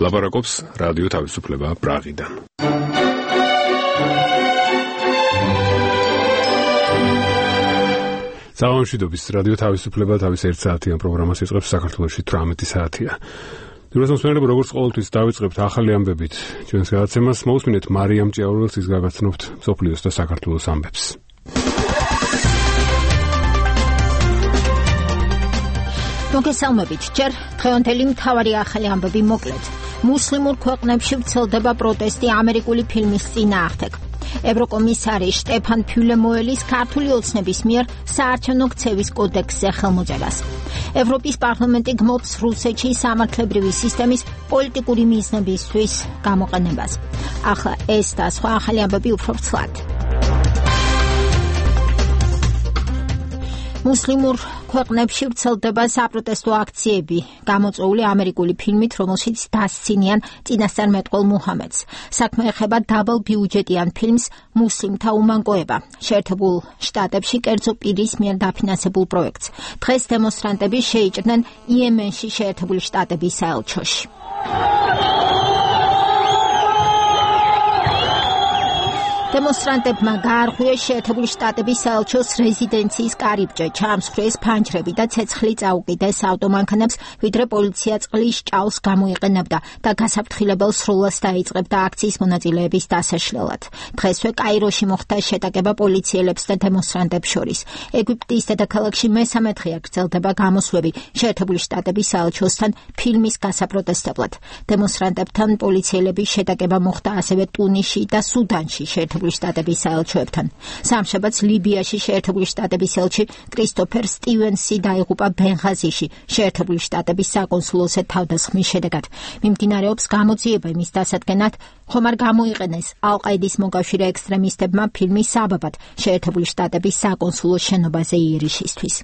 ლაპარაკობს რადიო თავისუფლება პრაღიდან. Საამშვიდობის რადიო თავისუფლება თავის 1 საათიან პროგრამას იწყებს საქართველოში 18 საათია. Ძიროსმოსმენელები როგორც ყოველთვის დავიწყებთ ახალი ამბებით. ჩვენს გადაცემას მოусმინეთ მარიამ ჭიაურელს ის გაგაცნობთ მსოფლიოს და საქართველოს ამბებს. მოგესალმებით. ჯერ დღევანდელი მთავარი ახალი ამბები მოკლედ. მუსლიმურ ქვეყნებში ვრცელდება პროტესტი ამერიკული ფილმის წინააღმდეგ. ევროკომისარი შტეფან ფიულე მოელის ქართული ოცნების მიერ საარჩევნო ქცევის კოდექსზე ხელმოწერას. ევროპის პარლამენტი გმობს რუსეთში სამართლებრივი სისტემის პოლიტიკური მიზნებისთვის გამოყენებას. ახლა ეს და სხვა ახალი ამბები უფრო ვრცლად. მუსლიმურ ქვეყნებში ვრცელდება საპროტესტო აქციები, გამოწვეული ამერიკული ფილმით, რომელშიც დასცინიან წინასწარმეტყველ მუჰამედს. საქმე ეხება დაბალბიუჯეტიან ფილმს „მუსლიმთა უმანკოება“, შეერთებულ შტატებში კერძო პირის მიერ დაფინანსებულ პროექტს. დღეს დემონსტრანტები შეიჭრნენ იემენში შეერთებული შტატების საელჩოში. დემონსტრანტებმა გაარღვიეს შეერთებული შტატების საელჩოს რეზიდენციის კარიბჭე, ჩაამსხვრიეს ფანჯრები და ცეცხლი წაუკიდეს ავტომანქანებს, ვიდრე პოლიცია წყლის ჭაოს გამოიყენებდა და გასაფრთხილებელ სროლას დაიწყებდა აქციის მონაწილეების დასაშლელად. დღესვე კაიროში მოხდა შეტაკება პოლიციელებს და დემონსტრანტებს შორის. ეგვიპტის დედაქალაქში მესამე დღეა გრძელდება გამოსვლები შეერთებული შტატების საელჩოსთან ფილმის გასაპროტესტებლად. დემონსტრანტებთან პოლიციელების შეტაკება მოხდა ასევე ტუნისში და სუდანში შეერთებული შტატების საელჩოებთან. სამშაბათს ლიბიაში შეერთებული შტატების ელჩი კრისტოფერ სტივენსი დაიღუპა ბენღაზიში შეერთებული შტატების საკონსულოზე თავდასხმის შედეგად. მიმდინარეობს გამოძიება იმის დასადგენად, ხომ არ გამოიყენეს ალ-ყაიდის მოკავშირე ექსტრემისტებმა ფილმის საბაბად შეერთებული შტატების საკონსულოს შენობაზე იერიშისთვის.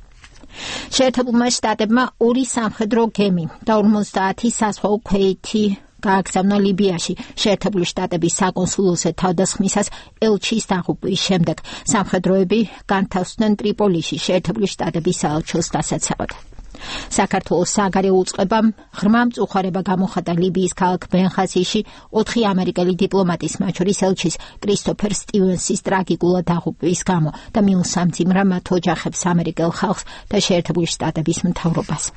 შეერთებულმა შტატებმა 2 სამხედრო გემი და 50 საზღვაო ქვეითი გააგზავნა ლიბიაში შეერთებული შტატების საკონსულოზე თავდასხმისას ელჩის დაღუპვის შემდეგ. სამხედროები განთავსდნენ ტრიპოლიში შეერთებული შტატების საელჩოს დასაცავად. საქართველოს საგარეო უწყებამ ღრმა მწუხარება გამოხატა ლიბიის ქალაქ ბენღაზიში 4 ამერიკელი დიპლომატის, მათ შორის ელჩის კრისტოფერ სტივენსის ტრაგიკულად დაღუპვის გამო და მიუსამძიმრა მათ ოჯახებს, ამერიკელ ხალხს და შეერთებული შტატების მთავრობას.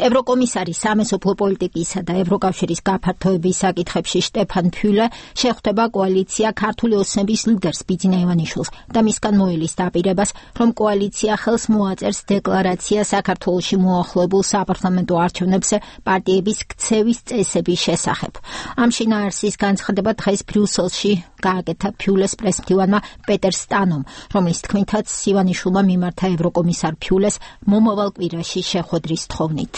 ევროკომისარი სამეზობლო პოლიტიკისა და ევროკავშირის გაფართოების საკითხებში შტეფან ფიულე შეხვდება კოალიცია ქართული ოცნების ლიდერს ბიძინა ივანიშვილს და მისგან მოელის დაპირებას, რომ კოალიცია ხელს მოაწერს დეკლარაცია საქართველოში მოახლებულ საპარლამენტო არჩევნებზე პარტიების ქცევის წესების შესახებ. ამ შინაარსის განცხადება დღეს ბრიუსელში გააკეთა ფიულეს პრესმდივანმა პეტერ სტანომ, რომლის თქმითაც ივანიშვილმა მიმართა ევროკომისარ ფიულეს მომავალ კვირაში შეხვედრის თხოვნით.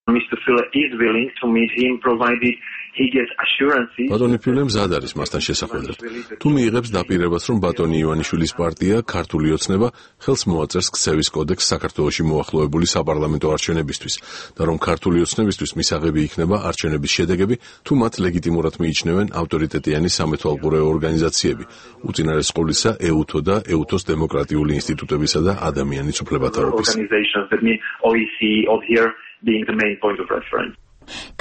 Mr. Fule is willing to meet him provided he gets assurances. ბატონი ფიულე მზად არის მასთან შესახვედრად. თუ მიიღებს დაპირებას, რომ ბატონი ივანიშვილის პარტია ქართული ოცნება ხელს მოაწერს ქცევის კოდექსს საქართველოში მოახლოებული საპარლამენტო არჩევნებისთვის და რომ ქართული ოცნებისთვის მისაღები იქნება არჩევნების შედეგები, თუ მათ ლეგიტიმურად მიიჩნევენ ავტორიტეტიანი სამეთვალყურეო ორგანიზაციები, უწინარეს ყოვლისა EUTO და EUTO-ს დემოკრატიული ინსტიტუტებისა და ადამიანის უფლებათა ოფისი. Being the main point of reference.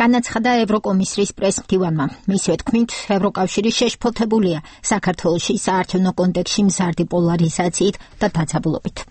განაცხადა ევროკომისრის პრესმდივანმა. მისივე თქმით, ევროკავშირი შეშფოთებულია საქართველოში საარჩევნო კონტექსტში მზარდი პოლარიზაციით და დაძაბულობით.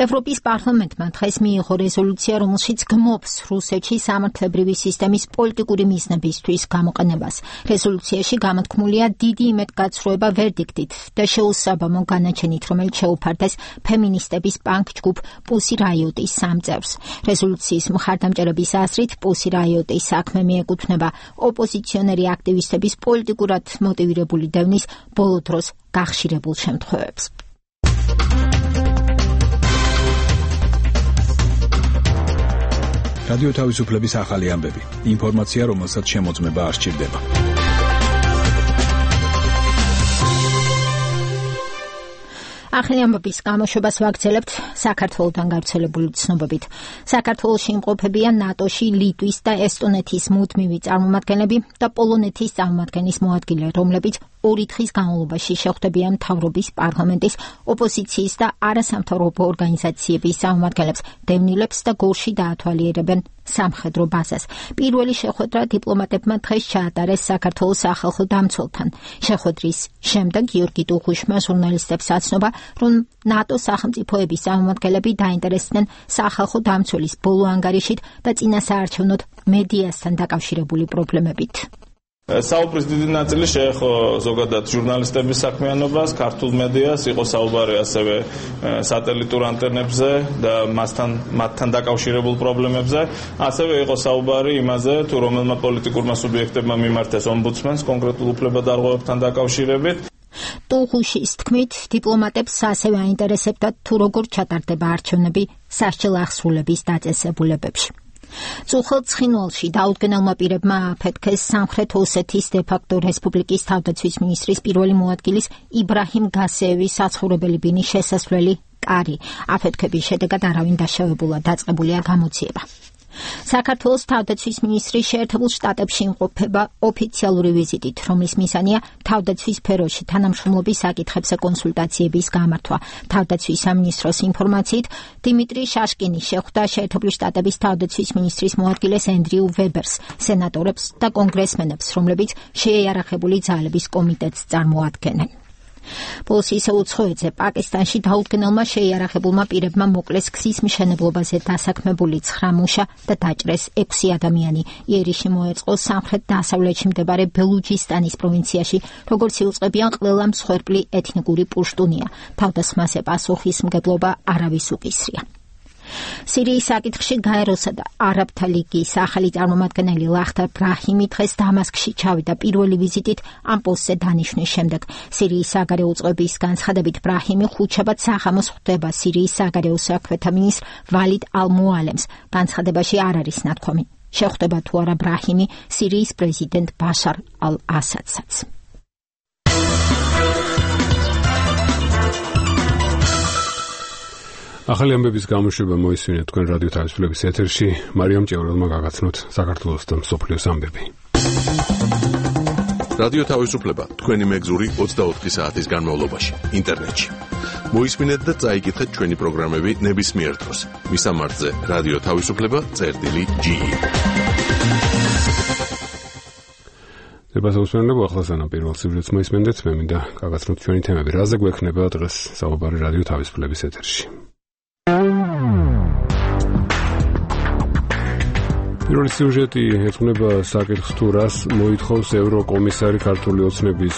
ევროპის პარლამენტმა დღეს მიიღო რეზოლუცია, რომელშიც გმობს რუსეთში სამართლებრივი სისტემის პოლიტიკური მიზნებისთვის გამოყენებას. რეზოლუციაში გამოთქმულია დიდი იმედგაცრუება ვერდიქტით და შეუსაბამო განაჩენით, რომელიც შეუფარდეს ფემინისტების პანკ-ჯგუფ პუსი რაიოტის 3 წევრს. რეზოლუციის მხარდამჭერების აზრით, პუსი რაიოტის საქმე მიეკუთვნება ოპოზიციონერი აქტივისტების პოლიტიკურად მოტივირებული დევნის ბოლო დროს გახშირებულ შემთხვევებს. რადიო თავისუფლების ახალი ამბები. ინფორმაცია, რომელსაც შემოწმება არ სჭირდება. ახალი ამბების გამოშვებას ვაგრძელებთ საქართველოდან გავრცელებული ცნობებით. საქართველოში იმყოფებიან ნატოში ლიტვის და ესტონეთის მუდმივი წარმომადგენლები და პოლონეთის წარმომადგენლის მოადგილე, რომლებიც 2 თხის განმავლობაში შეხვდებიან მთავრობის, პარლამენტის, ოპოზიციის და არასამთავრობო ორგანიზაციების წარმომადგენლებს, დევნილებს და გორში დაათვალიერებენ სამხედრო ბაზას. პირველი შეხვედრა დიპლომატებმა დღეს ჩაატარეს საქართველოს სახალხო დამცველთან. შეხვედრის შემდეგ გიორგი ტუღუშმა ჟურნალისტებს აცნობა, რომ ნატოს სახელმწიფოების წარმომადგენლები დაინტერესდნენ სახალხო დამცველის ბოლო ანგარიშით და წინასაარჩევნოდ მედიასთან დაკავშირებული პრობლემებით. საუბრის დიდი ნაწილი შეეხო ზოგადად ჟურნალისტების საქმიანობას, ქართულ მედიას, იყო საუბარი ასევე სატელიტურ ანტენებზე და მათთან დაკავშირებულ პრობლემებზე. ასევე იყო საუბარი იმაზე, თუ რომელმა პოლიტიკურმა სუბიექტებმა მიმართეს ომბუდსმენს კონკრეტულ უფლებადარღვევებთან დაკავშირებით. ტუღუშის თქმით, დიპლომატებს ასევე აინტერესებდათ, თუ როგორ ჩატარდება არჩევნები სასჯელ აღსრულების დაწესებულებებში. წუხელ ცხინვალში დაუდგენელმა პირებმა აფეთქეს სამხრეთ ოსეთის დე-ფაქტო რესპუბლიკის თავდაცვის მინისტრის პირველი მოადგილის იბრაჰიმ გასეევის საცხოვრებელი ბინის შესასვლელი კარი. აფეთქების შედეგად არავინ დაშავებულა, დაწყებულია გამოძიება. საქართველოს თავდაცვის მინისტრი შეერთებულ შტატებში იმყოფება ოფიციალური ვიზიტით, რომლის მიზანია თავდაცვის სფეროში თანამშრომლობის საკითხებზე კონსულტაციების გამართვა. თავდაცვის სამინისტროს ინფორმაციით, დიმიტრი შაშკინი შეხვდა შეერთებული შტატების თავდაცვის მინისტრის მოადგილეს ენდრიუ ვებერს, სენატორებს და კონგრესმენებს, რომლებიც შეიარაღებული ძალების კომიტეტს წარმოადგენენ. ბოლოს ისე უცხოეთზე პაკისტანში დაუდგენელმა შეიარაღებულმა პირებმა მოკლეს გზის მშენებლობაზე დასაქმებული 9 მუშა და დაჭრეს 6 ადამიანი. იერიში მოეწყო სამხრეთ-დასავლეთში მდებარე ბელუჯისტანის პროვინციაში, როგორც იუწყებიან ყველა მსხვერპლი ეთნიკური პუშტუნია. თავდასხმაზე პასუხისმგებლობა არავის უკისრია. სირიის საკითხში გაეროსა და არაბთა ლიგის ახალი წარმომადგენელი ლახტარ ბრაჰიმი დღეს დამასკში ჩავიდა პირველი ვიზიტით ამ პოსტზე დანიშვნის შემდეგ. სირიის საგარეო უწყების განცხადებით ბრაჰიმი ხუთშაბათ საღამოს ხვდება სირიის საგარეო საქმეთა მინისტრ ვალიდ ალ-მუალემს. განცხადებაში არ არის ნათქვამი, შეხვდება თუ არა ბრაჰიმი სირიის პრეზიდენტ ბაშარ ალ-ასადსაც. ახალი ამბების გამოშვება მოისმინეთ თქვენ რადიო თავისუფლების ეთერში. მარიამ ჭევრელმა გაგაცნოთ საქართველოს და მსოფლიოს ამბები. რადიო თავისუფლება თქვენი მეგზური 24 საათის განმავლობაში ინტერნეტში. მოისმინეთ და წაიკითხეთ ჩვენი პროგრამები ნებისმიერ დროს. მისამართზე რადიო თავისუფლება.ge. დებასაუსმენლებო ახლა სანამ პირველ სიუჟეტს მოისმენდეთ, მე მინდა გაგაცნოთ ჩვენი თემები. რაზე გვექნება დღეს საუბარი რადიო თავისუფლების ეთერში. პირველი სიუჟეტი ეძღვნება საკითხს, თუ რას მოითხოვს ევროკომისარი ქართული ოცნების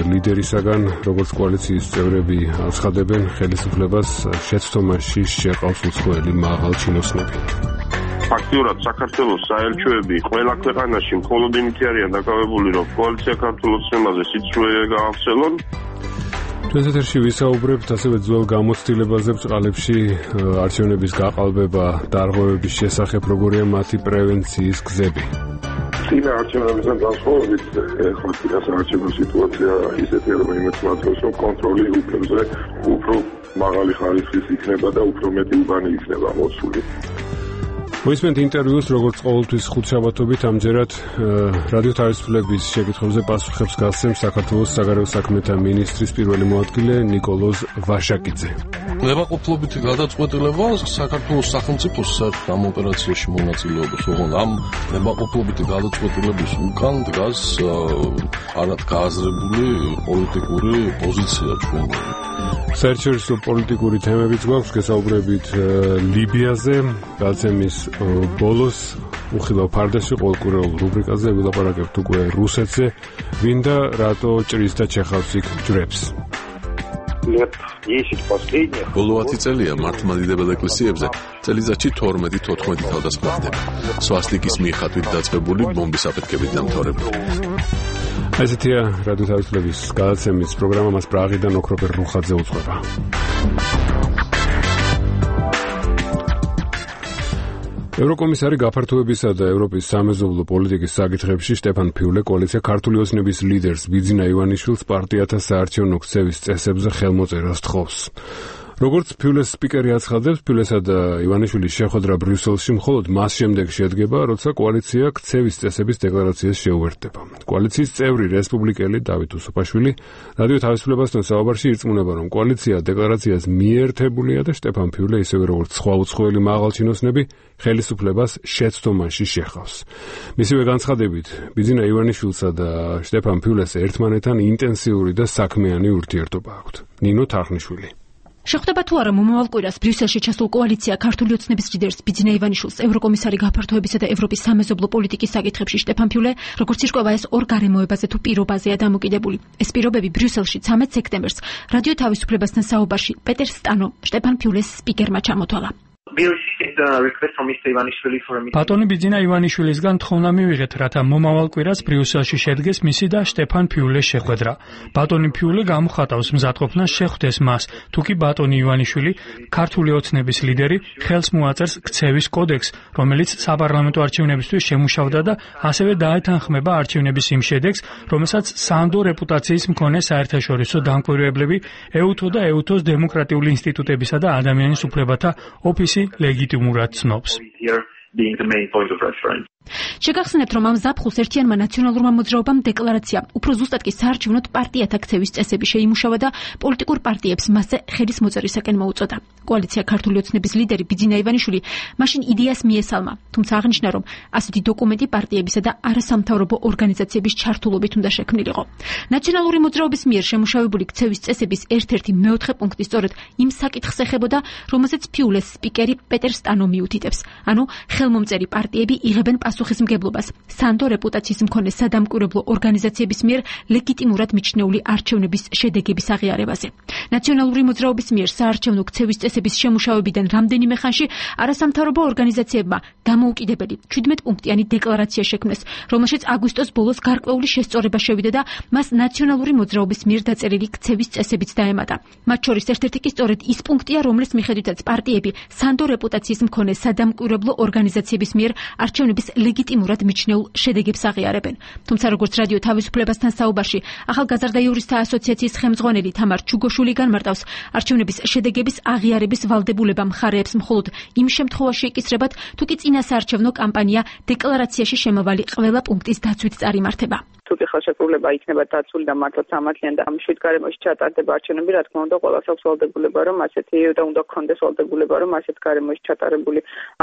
ლიდერისაგან, როგორც კოალიციის წევრები აცხადებენ, ხელისუფლებას შეცდომაში შეყავს უცხოელი მაღალჩინოსნები. ფაქტიურად საქართველოს საელჩოები ყველა ქვეყანაში მხოლოდ იმით არიან დაკავებული, რომ კოალიცია ქართულ ოცნებაზე სიცრუე გაახსელონ. ჩვენს ეთერში ვისაუბრებთ ასევე ძველ გამოცდილებაზე ბჭყალებში არჩევნების გაყალბება, დარღვევების შესახებ, როგორია მათი პრევენციის გზები. წინა არჩევნებისგან განსხვავებით, ახლა წინასაარჩევნო სიტუაცია ისეთია, რომ იმეც მართავს, რომ კონტროლი უფლებზე უფრო მაღალი ხარისხის იქნება და უფრო მეტი უბანი იქნება მოცული. მოისმენთ ინტერვიუს, როგორც ყოველთვის ხუთშაბათობით, ამჯერად რადიო თავისუფლების შეკითხვებზე პასუხებს გასცემს საქართველოს საგარეო საქმეთა მინისტრის პირველი მოადგილე ნიკოლოზ ვაშაკიძე. ნებაყოფლობითი გადაწყვეტილება საქართველოს სახელმწიფოს საერთო ამ ოპერაციაში მონაწილეობის, ოღონდ ამ ნებაყოფლობითი გადაწყვეტილების უკან დგას არად გააზრებული პოლიტიკური პოზიცია ჩვენი. საერთაშორისო პოლიტიკური თემებიც გვაქვს, გესაუბრებით ლიბიაზე, გადაცემის ბოლოს უხილავ ფარდაში ყოველკვირეულ რუბრიკაზე ვილაპარაკებთ უკვე რუსეთზე, ვინ და რატო ჭრის და ჩეხავს იქ ჯვრებს. ბოლო 10 წელია მართლმადიდებელ ეკლესიებზე წელიწადში 12-14 თავდასხმა ხდება. სვასტიკის მიხატვით დაწყებული ბომბის აფეთქებით დამთავრებული. ესეთია რადიო თავისუფლების გადაცემის პროგრამა, მას პრაღიდან ოქროპერ რუხაძე უძღვება. ევროკომისარი გაფართოებისა და ევროპის სამეზობლო პოლიტიკის საკითხებში შტეფან ფიულე კოალიცია ქართული ოცნების ლიდერს ბიძინა ივანიშვილს პარტიათა საარჩევნო ქცევის წესებზე ხელმოწერას თხოვს. როგორც ფიულეს სპიკერი აცხადებს, ფიულესა და ივანიშვილის შეხვედრა ბრიუსელში მხოლოდ მას შემდეგ შედგება, როცა კოალიცია ქცევის წესების დეკლარაციას შეუერთდება. კოალიციის წევრი რესპუბლიკელი დავით უსუფაშვილი რადიო თავისუფლებასთან საუბარში ირწმუნება, რომ კოალიცია დეკლარაციას მიერთებულია და შტეფან ფიულე ისევე როგორც სხვა უცხოელი მაღალჩინოსნები ხელისუფლებას შეცდომაში შეხავს. მისივე განცხადებით, ბიძინა ივანიშვილსა და შტეფან ფიულეს ერთმანეთთან ინტენსიური და საქმიანი ურთიერთობა აქვთ. ნინო თარხნიშვილი. შეხვდება თუ არა მომავალ კვირას ბრიუსელში ჩასულ კოალიცია ქართული ოცნების ლიდერს ბიძინა ივანიშვილს, ევროკომისარი გაფართოებისა და ევროპის სამეზობლო პოლიტიკის საკითხებში შტეფან ფიულე, როგორც ირკვევა ეს ორ გარემოებაზე თუ პირობაზეა დამოკიდებული. ეს პირობები ბრიუსელში 13 სექტემბერს რადიო თავისუფლებასთან საუბარში პეტერ სტანო შტეფან ფიულეს სპიკერმა ჩამოთვალა. ბატონი ბიძინა ივანიშვილისგან თხოვნა მივიღეთ, რათა მომავალ კვირას ბრიუსელში შედგეს მისი და შტეფან ფიულეს შეხვედრა. ბატონი ფიულე გამოხატავს მზადყოფნას შეხვდეს მას, თუკი ბატონი ივანიშვილი, ქართული ოცნების ლიდერი, ხელს მოაწერს ქცევის კოდექსს, რომელიც საპარლამენტო არჩევნებისთვის შემუშავდა და ასევე დაეთანხმება არჩევნების იმ შედეგს, რომელსაც სანდო რეპუტაციის მქონე საერთაშორისო დამკვირვებლები ეუთო და ეუთოს დემოკრატიული ინსტიტუტებისა და ადამიანის უფლებათა ოფისი ლეგიტიმურად ცნობს. შეგახსენებთ, რომ ამ ზაფხულს ერთიანმა ნაციონალურმა მოძრაობამ დეკლარაცია, უფრო ზუსტად კი საარჩევნო პარტიათა ქცევის წესები შეიმუშავა და პოლიტიკურ პარტიებს მასზე ხელის მოწერისაკენ მოუწოდა. კოალიცია ქართული ოცნების ლიდერი ბიძინა ივანიშვილი მაშინ იდეას მიესალმა, თუმცა აღნიშნა, რომ ასეთი დოკუმენტი პარტიებისა და არასამთავრობო ორგანიზაციების ჩართულობით უნდა შექმნილიყო. ნაციონალური მოძრაობის მიერ შემუშავებული ქცევის წესების ერთ-ერთი მეოთხე პუნქტი სწორედ იმ საკითხს ეხებოდა, რომელზეც ფიულეს სპიკერი პეტერ სტანო მიუთითებს, ანუ ხელმომწერი პარტიები იღებენ პასუხისმგებლობას სანდო რეპუტაციის მქონე სადამკვირვებლო ორგანიზაციების მიერ ლეგიტიმურად მიჩნეული არჩევნების შედეგების აღიარებაზე. ნაციონალური მოძრაობის მიერ საარჩევნო ქცევის წესების შემუშავებიდან რამდენიმე ხანში არასამთავრობო ორგანიზაციებმა დამოუკიდებელი 17 პუნქტიანი დეკლარაცია შექმნეს, რომელშიც აგვისტოს ბოლოს გარკვეული შესწორება შევიდა და მას ნაციონალური მოძრაობის მიერ დაწერილი ქცევის წესებიც დაემატა. მათ შორის ერთ-ერთი კი სწორედ ის პუნქტია, რომლის მიხედვითაც პარტიები სანდო რეპუტაციის მქონე სადამკვირვებლო ორგანიზაციების მიერ არჩევნების ლეგიტიმურად მიჩნეულ შედეგებს აღიარებენ. თუმცა როგორც რადიო თავისუფლებასთან საუბარში ახალგაზრდა იურისტთა ასოციაციის ხელმძღვანელი თამარ ჩუგოშვილი განმარტავს, არჩევნების შედეგების აღიარების ვალდებულება მხარეებს მხოლოდ იმ შემთხვევაში ეკისრებათ, თუ კი წინასაარჩევნო კამპანია დეკლარაციაში შემავალი ყველა პუნქტის დაცვით წარიმართება. თუკი ხელშეკრულება იქნება დაცული და მართლაც სამართლიანი და შვიდ გარემოში ჩატარდება არჩევნები, რა თქმა უნდა, ყველას აქვს ვალდებულება, რომ ასეთი და უნდა გქონდეს ვალდებულება, რომ ასეთ გარემოში ჩატარებული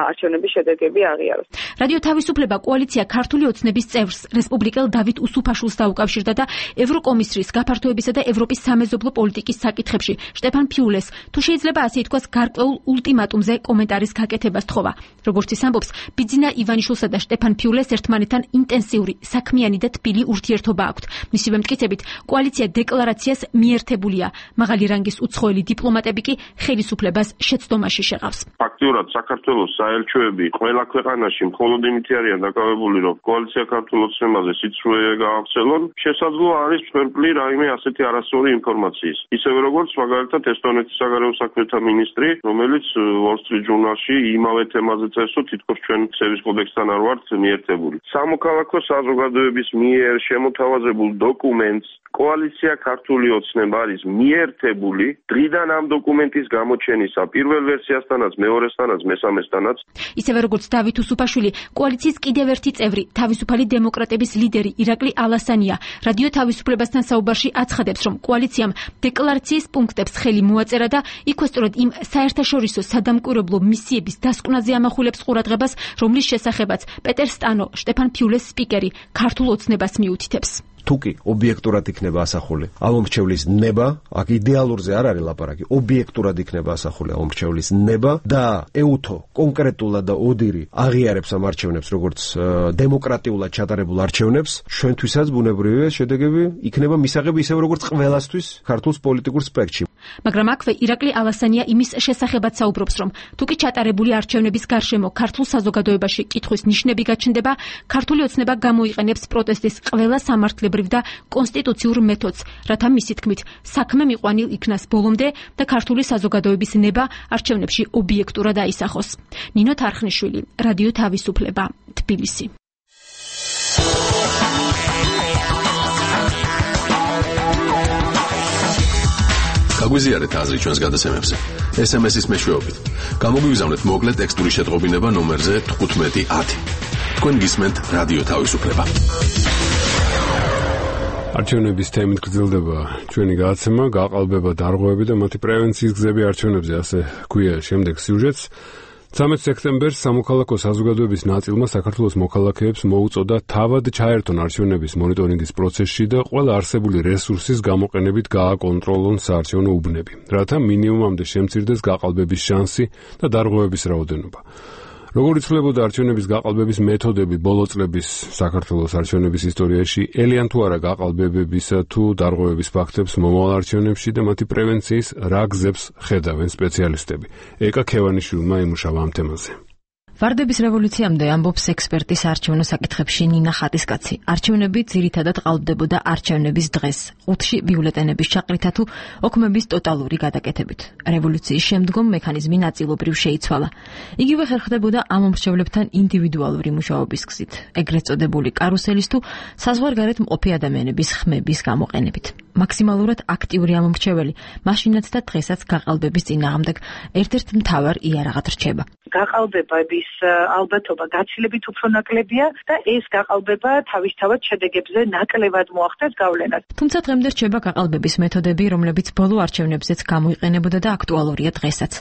არჩევნების შედეგები აღიაროს. რადიო თავისუფლება კოალიცია ქართული ოცნების წევრს რესპუბლიკელ დავით უსუფაშვილს დაუკავშირდა და ევროკომისრის გაფართოებისა და ევროპის სამეზობლო პოლიტიკის საკითხებში შტეფან ფიულეს, თუ შეიძლება ასე ითქვას, გარკვეულ ულტიმატუმზე კომენტარის გაკეთებას თხოვა. როგორც ის ამბობს, ბიძინა ივანიშვილსა და შტეფან ფიულეს ერთმანეთთან ინტენსიური, საქმიანი და თბილი ურთიერთობა აქვთ. მისივე მტკიცებით, კოალიცია დეკლარაციას მიერთებულია. მაღალი რანგის უცხოელი დიპლომატები კი ხელისუფლებას შეცდომაში შეყავს. ფაქტიურად საქართველოს საელჩოები ყველა ქვეყანაში მხოლოდ იმით არიან დაკავებული, რომ კოალიცია ქართულ ოცნებაზე სიცრუე გაახსელონ. შესაძლოა არის მსხვერპლი რაიმე ასეთი არასწორი ინფორმაციის. ისევე როგორც მაგალითად ესტონეთის საგარეო საქმეთა მინისტრი, რომელიც Wall Street Journal-ში იმავე თემაზე წერს, თითქოს ჩვენ ქცევის კოდექსთან არ ვართ მიერთებული. სამოქალაქო საზოგადოების მიერ შემოთავაზებულ დოკუმენტს კოალიცია ქართული ოცნება არის მიერთებული დღიდან ამ დოკუმენტის გამოჩენისა პირველ ვერსიასთანაც, მეორესთანაც, მესამესთანაც. ისევე როგორც დავით უსუფაშვილი, კოალიციის კიდევ ერთი წევრი, თავისუფალი დემოკრატების ლიდერი ირაკლი ალასანია, რადიო თავისუფლებასთან საუბარში აცხადებს, რომ კოალიციამ დეკლარაციის პუნქტებს ხელი მოაწერა და იქვე სწორედ იმ საერთაშორისო სადამკვირვებლო მისიების დასკვნაზე ამახვილებს ყურადღებას, რომლის შესახებაც პეტერ სტანო შტეფან ფიულეს სპიკერი ქართულ ოცნებას მიუთითებს. თუკი ობიექტურად იქნება ასახული ამომრჩევლის ნება, აქ იდეალურზე არ არის ლაპარაკი, ობიექტურად იქნება ასახული ამომრჩევლის ნება და ეუთო კონკრეტულად და ოდირი აღიარებს ამ არჩევნებს როგორც დემოკრატიულად ჩატარებულ არჩევნებს, ჩვენთვისაც ბუნებრივია შედეგები იქნება მისაღები ისევ როგორც ყველასთვის ქართულ პოლიტიკურ სპექტრში. მაგრამ აქვე ირაკლი ალასანია იმის შესახებაც საუბრობს, რომ თუკი ჩატარებული არჩევნების გარშემო ქართულ საზოგადოებაში კითხვის ნიშნები გაჩნდება, ქართული ოცნება გამოიყენებს პროტესტის ყველა სამართლებრივ და კონსტიტუციურ მეთოდს, რათა მისი თქმით საქმე მიყვანილ იქნას ბოლომდე და ქართული საზოგადოების ნება არჩევნებში ობიექტურად აისახოს. ნინო თარხნიშვილი, რადიო თავისუფლება, თბილისი. გაგვიზიარეთ აზრი ჩვენს გადაცემებზე. SMS-ის მეშვეობით. გამოგვიგზავნეთ მოკლე ტექსტური შეტყობინება ნომერზე 1510. თქვენ გისმენთ რადიო თავისუფლება. არჩევნების თემით გრძელდება ჩვენი გადაცემა, გაყალბება დარღვევები და მათი პრევენციის გზები არჩევნებზე, ასე ქვია შემდეგ სიუჟეტს. 13 სექტემბერს სამოქალაქო საზოგადოების ნაწილმა საქართველოს მოქალაქეებს მოუწოდა თავად ჩაერთონ არჩევნების მონიტორინგის პროცესში და ყველა არსებული რესურსის გამოყენებით გააკონტროლონ საარჩევნო უბნები, რათა მინიმუმამდე შემცირდეს გაყალბების შანსი და დარღვევების რაოდენობა. როგორ იცვლებოდა არჩევნების გაყალბების მეთოდები ბოლო წლების საქართველოს არჩევნების ისტორიაში, ელიან თუ არა გაყალბებებისა თუ დარღვევების ფაქტებს მომავალ არჩევნებში და მათი პრევენციის რა გზებს ხედავენ სპეციალისტები. ეკა ქევანიშვილმა იმუშავა ამ თემაზე. ვარდების რევოლუციამდე ამბობს ექსპერტის არჩევნო საკითხებში ნინა ხატისკაცი. არჩევნები ძირითადად ყალბდებოდა არჩევნების დღეს, 5-ში ბიულეტენების ჩაყრითა თუ ოქმების ტოტალური გადაკეთებით. რევოლუციის შემდგომ მექანიზმი ნაწილობრივ შეიცვალა. იგივე ხერხდებოდა ამომრჩევლებთან ინდივიდუალური მუშაობის გზით, ეგრეთ წოდებული კარუსელის თუ საზღვარგარეთ მყოფი ადამიანების ხმების გამოყენებით. მაქსიმალურად აქტიური ამომრჩეველი მაშინაც და დღესაც გაყალბების წინააღმდეგ ერთ-ერთ მთავარ იარაღად რჩება. გაყალბების ალბათობა გაცილებით უფრო ნაკლებია და ეს გაყალბება თავისთავად შედეგებზე ნაკლებად მოახდენს გავლენას. თუმცა დღემდე რჩება გაყალბების მეთოდები, რომლებიც ბოლო არჩევნებზეც გამოიყენებოდა და აქტუალურია დღესაც.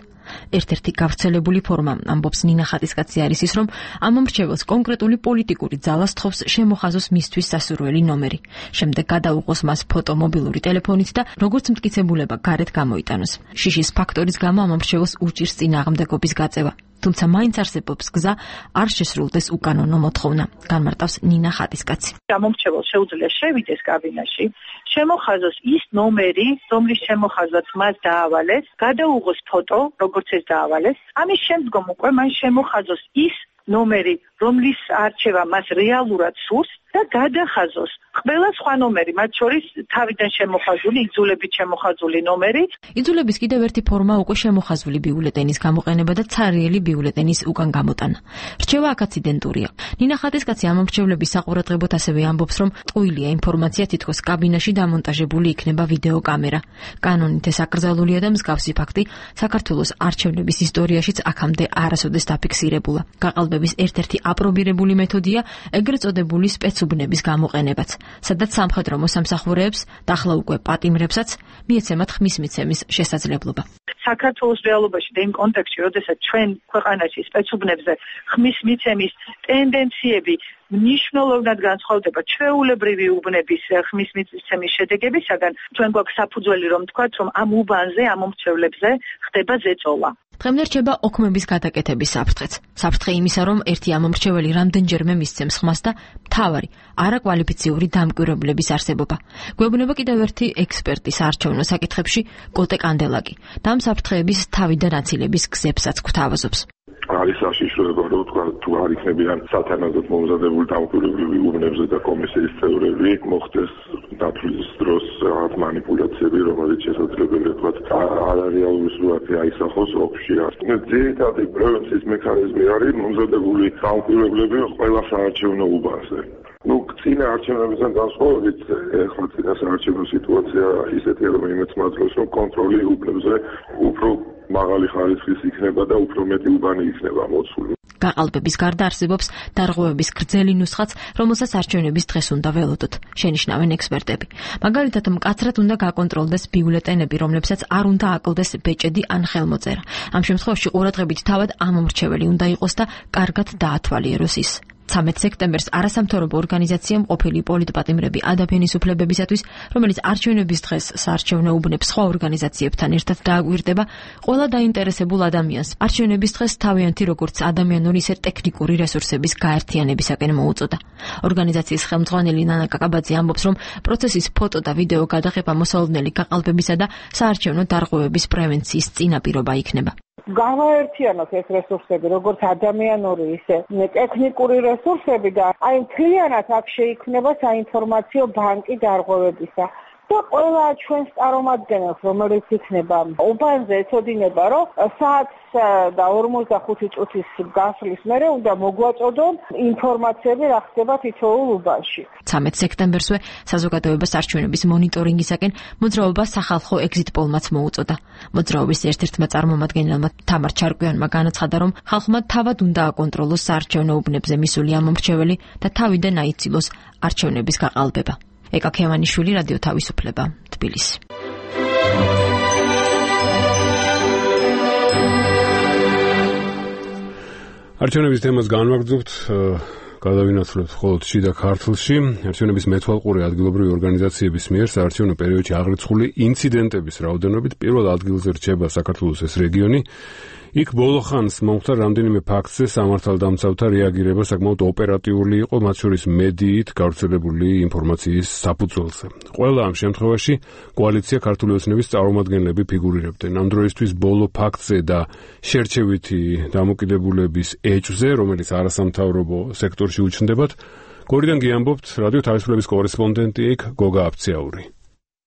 ერთ-ერთი გავრცელებული ფორმა, ამბობს ნინა ხატისკაცი, არის ის, რომ ამომრჩეველს კონკრეტული პოლიტიკური ძალა სთხოვს შემოხაზოს მისთვის სასურველი ნომერი. შემდეგ გადაუყოს მას ფოტო მობილური ტელეფონით და როგორც მტკიცებულება გარეთ გამოიტანოს. შიშის ფაქტორის გამო ამომრჩეველს უჭირს წინააღმდეგობის გაწევა. თუმცა მაინც არსებობს გზა არ შესრულდეს უკანონო მოთხოვნა, განმარტავს ნინა ხატისკაცი. ამომრჩეველს შეუძლია შევიდეს კაბინაში, შემოხაზოს ის ნომერი, რომლის შემოხაზვაც მას დაავალეს, გადაუღოს ფოტო, როგორც ეს დაავალეს. ამის შემდგომ უკვე მან შემოხაზოს ის ნომერი, რომლის არჩევა მას რეალურად სურს და გადახაზოს ყველა სხვა ნომერი, მათ შორის თავიდან შემოხაზული, იძულებით შემოხაზული ნომერი. იძულების კიდევ ერთი ფორმა უკვე შემოხაზული ბიულეტენის გამოყენება და ცარიელი ბიულეტენის უკან გამოტანა. რჩევა აქაც იდენტურია. ნინა ხატისკაცი ამომრჩევლების საყურადღებოდ ასევე ამბობს, რომ ტყუილია ინფორმაცია, თითქოს კაბინაში დამონტაჟებული იქნება ვიდეო კამერა. კანონით ეს აკრძალულია და მსგავსი ფაქტი საქართველოს არჩევნების ისტორიაშიც აქამდე არასოდეს დაფიქსირებულა. გაყალბების ერთ-ერთი აპრობირებული მეთოდია ეგრეთ წოდებული სპეცუბნების გამოყენებაც, სადაც სამხედრო მოსამსახურეებს და ახლა უკვე პატიმრებსაც მიეცემათ ხმის მიცემის შესაძლებლობა. საქართველოს რეალობაში და იმ კონტექსტში, როდესაც ჩვენ ქვეყანაში სპეცუბნებზე ხმის მიცემის ტენდენციები მნიშვნელოვნად განსხვავდება ჩვეულებრივი უბნების ხმის მიცემის შედეგებისაგან, ჩვენ გვაქვს საფუძველი რომ თქვათ, რომ ამ უბანზე, ამომრჩევლებზე ხდება ზეწოლა. დღემდე რჩება ოქმების გადაკეთების საფრთხეც. საფრთხე იმისა, რომ ერთი ამომრჩეველი რამდენჯერმე მისცემს ხმას და მთავარი არაკვალიფიციური დამკვირვებლების არსებობა. გვეუბნება კიდევ ერთი ექსპერტის არჩევნო საკითხებში კოტე კანდელაკი და ამ საფრთხეების თავიდან აცილების გზებსაც გვთავაზობს. არის საშიშროება, რომ თუ არ იქნებიან სათანადოდ მომზადებული დამკვირვებლები უბნებზე და კომისიის წევრები, მოხდეს დათვლის დროს რაღაც მანიპულაციები, რომელიც შესაძლებელია თქვათ არარეალური სურათი აისახოს ოფში. ძირითადი პრევენციის მექანიზმი არის მომზადებული დამკვირვებლები ყველა საარჩევნო უბანზე. წინა არჩევნებიდან განსხვავებით, ახლა წინა საარჩევნო სიტუაცია ისეთია, რომ იმეც მაძლევს, რომ კონტროლი უბნებზე უფრო მაღალი ხარისხის იქნება და უფრო მეტი უბანი იქნება მოცული. გაყალბების გარდა არსებობს დარღვევების გრძელი ნუსხაც, რომელსაც არჩევნების დღეს უნდა ველოდოთ, შენიშნავენ ექსპერტები. მაგალითად, მკაცრად უნდა გაკონტროლდეს ბიულეტენები, რომლებსაც არ უნდა აკლდეს ბეჭედი ან ხელმოწერა. ამ შემთხვევაში ყურადღებით თავად ამომრჩეველი უნდა იყოს და კარგად დაათვალიეროს ის. 13 სექტემბერს არასამთავრობო ორგანიზაციამ ყოფილი პოლიტპატიმრები ადამიანის უფლებებისათვის, რომელიც არჩევნების დღეს საარჩევნო უბნებს სხვა ორგანიზაციებთან ერთად დააგვირდება, ყველა დაინტერესებულ ადამიანს არჩევნების დღეს თავიანთი როგორც ადამიანური, ისე ტექნიკური რესურსების გაერთიანებისაკენ მოუწოდა. ორგანიზაციის ხელმძღვანელი ნანა კაკაბაძე ამბობს, რომ პროცესის ფოტო და ვიდეო გადაღება მოსალოდნელი გაყალბებისა და საარჩევნო დარღვევების პრევენციის წინაპირობა იქნება. გავაერთიანოთ ეს რესურსები, როგორც ადამიანური, ისე ტექნიკური რესურსები და აი მთლიანად აქ შეიქმნება საინფორმაციო ბანკი დარღვევებისა. და ყველა ჩვენს წარმომადგენელს, რომელიც იქნება უბანზე ეცოდინება, რომ საათს და 45 წუთის გასვლის მერე უნდა მოგვაწოდონ ინფორმაციები, რა ხდება თითოეულ უბანში. 13 სექტემბერსვე საზოგადოებას არჩევნების მონიტორინგისაკენ მოძრაობა სახალხო ეგზიტ პოლმაც მოუწოდა. მოძრაობის ერთ-ერთმა წარმომადგენელმა თამარ ჩარკვიანმა განაცხადა, რომ ხალხმა თავად უნდა აკონტროლოს საარჩევნო უბნებზე მისული ამომრჩეველი და თავიდან აიცილოს არჩევნების გაყალბება. ეკა ქევანიშვილი, რადიო თავისუფლება, თბილისი. არჩევნების თემას განვაგრძობთ, გადავინაცვლებთ მხოლოდ შიდა ქართლში. არჩევნების მეთვალყური ადგილობრივი ორგანიზაციების მიერ საარჩევნო პერიოდში აღრიცხული ინციდენტების რაოდენობით პირველ ადგილზე რჩება საქართველოს ეს რეგიონი. იქ ბოლო ხანს მომხდა რამდენიმე ფაქტზე სამართალდამცავთა რეაგირება საკმაოდ ოპერატიული იყო, მათ შორის მედიით გავრცელებული ინფორმაციის საფუძველზე. ყველა ამ შემთხვევაში კოალიცია ქართული ოცნების წარმომადგენლები ფიგურირებდნენ. ამ დროისთვის ბოლო ფაქტზე და შერჩევითი დამოკიდებულების ეჭვზე, რომელიც არასამთავრობო სექტორში უჩნდებათ, გორიდან გიამბობთ რადიო თავისუფლების კორესპონდენტი იქ გოგა აფციაური.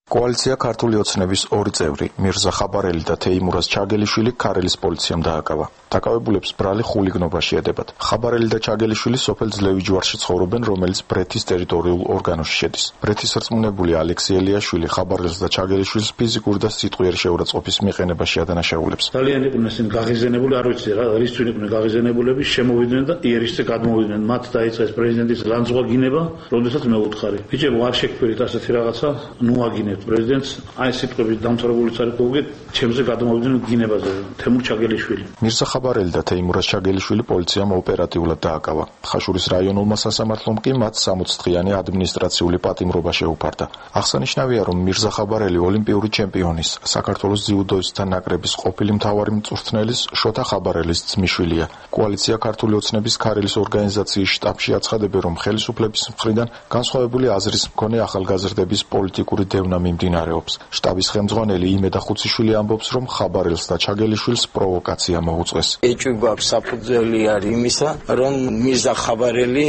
კოალიცია ქართული ოცნების ორი წევრი, მირზა ხაბარელი და თეიმურაზ ჩაგელიშვილი ქარელის პოლიციამ დააკავა. დაკავებულებს ბრალი ხულიგნობაში ედებათ. ხაბარელი და ჩაგელიშვილი სოფელ ძლევიჯვარში ცხოვრობენ, რომელიც ბრეთის ტერიტორიულ ორგანოში შედის. ბრეთის რწმუნებული ალექსი ელიაშვილი ხაბარელს და ჩაგელიშვილს ფიზიკური და სიტყვიერი შეურაცხყოფის მიყენებაში ადანაშაულებს. ძალიან იყვნენ ისინი გაღიზიანებული, არ ვიცი რა, რისთვინ იყვნენ გაღიზიანებულები, შემოვიდნენ და იერიშზე გადმოვიდნენ. მათ დაიწყეს პრეზიდენტის ლანძღვაგინება, როდესაც მე ვუთხარი. ბიჭებო, არ შეგფერით ასეთი რაღაცა, ნუ აგინებთ პრეზიდენტს, აი სიტყვებით დამთავრებული წარდგოგი, ჩემზე გადმოვიდნენ გინებაზე, თემურ ჩაგელიშვილი. მირზა ხაბარელი და თეიმურაზ ჩაგელიშვილი პოლიციამ ოპერატიულად დააკავა. ხაშურის რაიონულმა სასამართლომ კი მათ 60 დღიანი ადმინისტრაციული პატიმრობა შეუფარდა. აღსანიშნავია, რომ მირზა ხაბარელი ოლიმპიური ჩემპიონის, საქართველოს ძიუდოისტთა ნაკრების ყოფილი მთავარი მწვრთნელის შოთა ხაბარელის ძმისშვილია. კოალიცია ქართული ოცნების ქარელის ორგანიზაციის შტაბში აცხადებენ, რომ ხელისუფლების მხრიდან განსხვავებული აზრის მქონე ახალგაზრდების პოლიტიკური დევნა მიმდინარეობს. შტაბის ხელმძღვანელი იმედა ხუციშვილი ამბობს, რომ ხაბარელს და ჩაგელიშვილს პროვოკაცია მოუწყვეს. ეჭვი გვაქვს საფუძველი არის იმისა, რომ მირზა ხაბარელი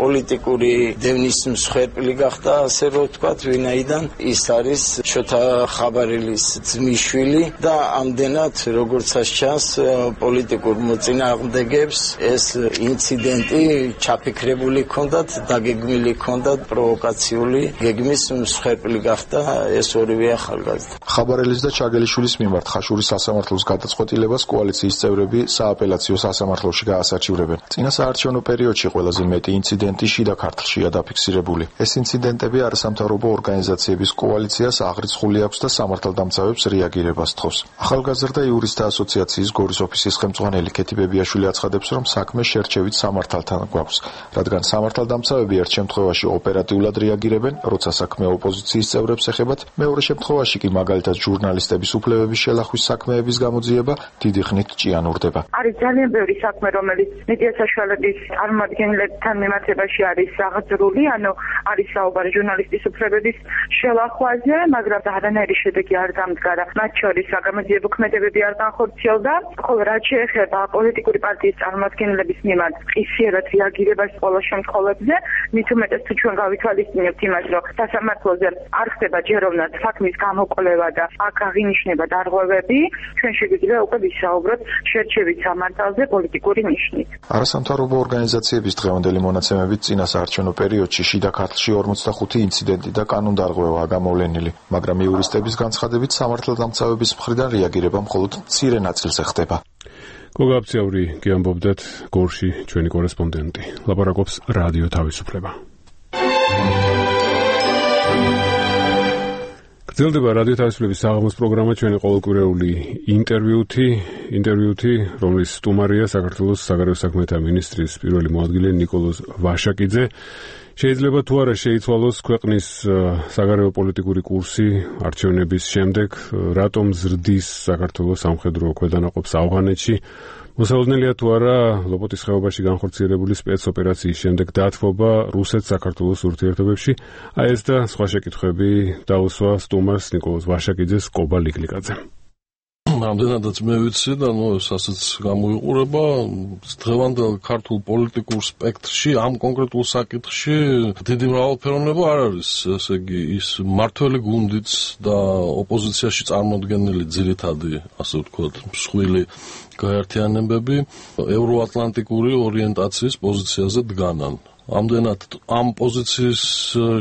პოლიტიკური დევნის მსხვერპლი გახდა, ასე რომ ვთქვათ, ვინაიდან ის არის შოთა ხაბარელის ძმისშვილი და ამდენად, როგორც ჩანს, პოლიტიკურ მოწინააღმდეგებს ეს ინციდენტი ჩაფიქრებული ჰქონდათ, დაგეგმილი ჰქონდათ, პროვოკაციული გეგმის მსხვერპლი გახდა ეს ორივე ახალგაზრდა. ხაბარელის და ჩაგელიშვილის მიმართ ხაშურის სასამართლოს გადაწყვეტილებას კოალიციის წევრები სააპელაციო სასამართლოში გაასარჩივრებენ. წინა საარჩევნო პერიოდში ყველაზე მეტი ინციდენტი შიდა ქართლშია დაფიქსირებული. ეს ინციდენტები არასამთავრობო ორგანიზაციების კოალიციას აღრიცხული აქვს და სამართალდამცავებს რეაგირებას თხოვს. ახალგაზრდა იურისტთა ასოციაციის გორის ოფისის ხელმძღვანელი ქეთი ბებიაშვილი აცხადებს, რომ საქმე შერჩევით სამართალთან გვაქვს, რადგან სამართალდამცავები ერთ შემთხვევაში ოპერატიულად რეაგირებენ, როცა საქმე ოპოზიციის წევრებს ეხებათ, მეორე შემთხვევაში კი მაგალითად ჟურნალისტების უფლებების შელახვის საქმეების გამოძიება დიდი ხნით ჭიანურდება. არის ძალიან ბევრი საქმე, რომელიც მედია საშუალების წარმომადგენლებთან მიმართებაში არის აღძრული, ანუ არის საუბარი ჟურნალისტის უფლებების შელახვაზე, მაგრამ არანაირი შედეგი არ დამდგარა. მათ შორის საგამოძიებო ქმედებები არ განხორციელდა, ხოლო რაც შეეხება პოლიტიკური პარტიის წარმომადგენლების მიმართ ყისიერად რეაგირებას ყველა შემთხვევებზე, მით უმეტეს თუ ჩვენ გავითვალისწინებთ იმას, რომ სასამართლოზე არ ხდება ჯეროვნად საქმის გამოკვლევა და აქ აღინიშნება დარღვევები, ჩვენ შეგვიძლია უკვე ვისაუბროთ შერჩევით სამართალზე პოლიტიკური ნიშნით. არასამთავრობო ორგანიზაციების დღევანდელი მონაცემებით წინა საარჩევნო პერიოდში შიდა ქართლში 45 ინციდენტი და კანონდარღვევაა გამოვლენილი, მაგრამ იურისტების განცხადებით სამართალდამცავების მხრიდან რეაგირება მხოლოდ მცირე ნაწილზე ხდება. გოგა აფციაური გიამბობდათ გორში ჩვენი კორესპონდენტი. ლაპარაკობს რადიო თავისუფლება. გრძელდება რადიო თავისუფლების საღამოს პროგრამა ჩვენი ყოველკვირეული ინტერვიუთი, რომლის სტუმარია საქართველოს საგარეო საქმეთა მინისტრის პირველი მოადგილე ნიკოლოზ ვაშაკიძე. შეიძლება თუ არა შეიცვალოს ქვეყნის საგარეო პოლიტიკური კურსი არჩევნების შემდეგ, რატომ ზრდის საქართველოს სამხედრო ქვედანაყოფს ავღანეთში, მოსავალნელია თუ არა ლოპოტის ხეობაში განხორციელებული სპეცოპერაციის შემდეგ დათმობა რუსეთ-საქართველოს ურთიერთობებში. აი ეს და სხვა შეკითხვები დაუსვა სტუმარს ნიკოლოზ ვაშაკიძეს კობა ლიგლიკაძე. რამდენადაც მე ვიცი და ასეც გამოიყურება დღევანდელ ქართულ პოლიტიკურ სპექტრში ამ კონკრეტულ საკითხში დიდი მრავალფეროვნება არ არის, ესე იგი ის მართველი გუნდიც და ოპოზიციაში წარმოდგენილი ძირითადი, ასე ვთქვათ, მსხვილი გაერთიანებები ევროატლანტიკური ორიენტაციის პოზიციაზე დგანან. ამდენად ამ პოზიციის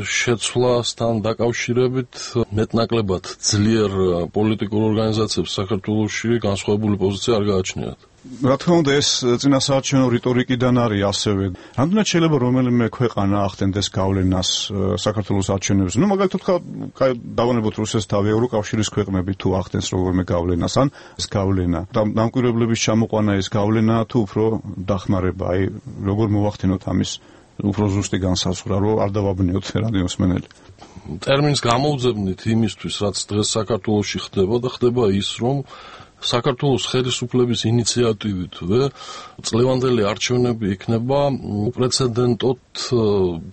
შეცვლასთან დაკავშირებით მეტნაკლებად ძლიერ პოლიტიკურ ორგანიზაციებს საქართველოში განსხვავებული პოზიცია არ გააჩნიათ. რა თქმა უნდა ეს წინასაარჩევნო რიტორიკიდან არის ასევე. რამდენად შეიძლება რომელიმე ქვეყანა ახდენდეს გავლენას საქართველოს არჩევნებზე? მაგალითად დავანებოთ რუსეთს თავი ევროკავშირის ქვეყნები თუ ახდენს რომელიმე გავლენას ან ეს გავლენა დამკვირვებლების ჩამოყვანა ეს გავლენა თუ უფრო დახმარება, აი როგორ მოვახდინოთ ამის უფრო ზუსტი განსაზღვრა, რომ არ დავაბნიოთ რადიოსმენელი. ტერმინს გამოვძებნით იმისთვის, რაც დღეს საქართველოში ხდება და ხდება ის, რომ საქართველოს ხელისუფლების ინიციატივითვე წლევანდელი არჩევნები იქნება უპრეცედენტოდ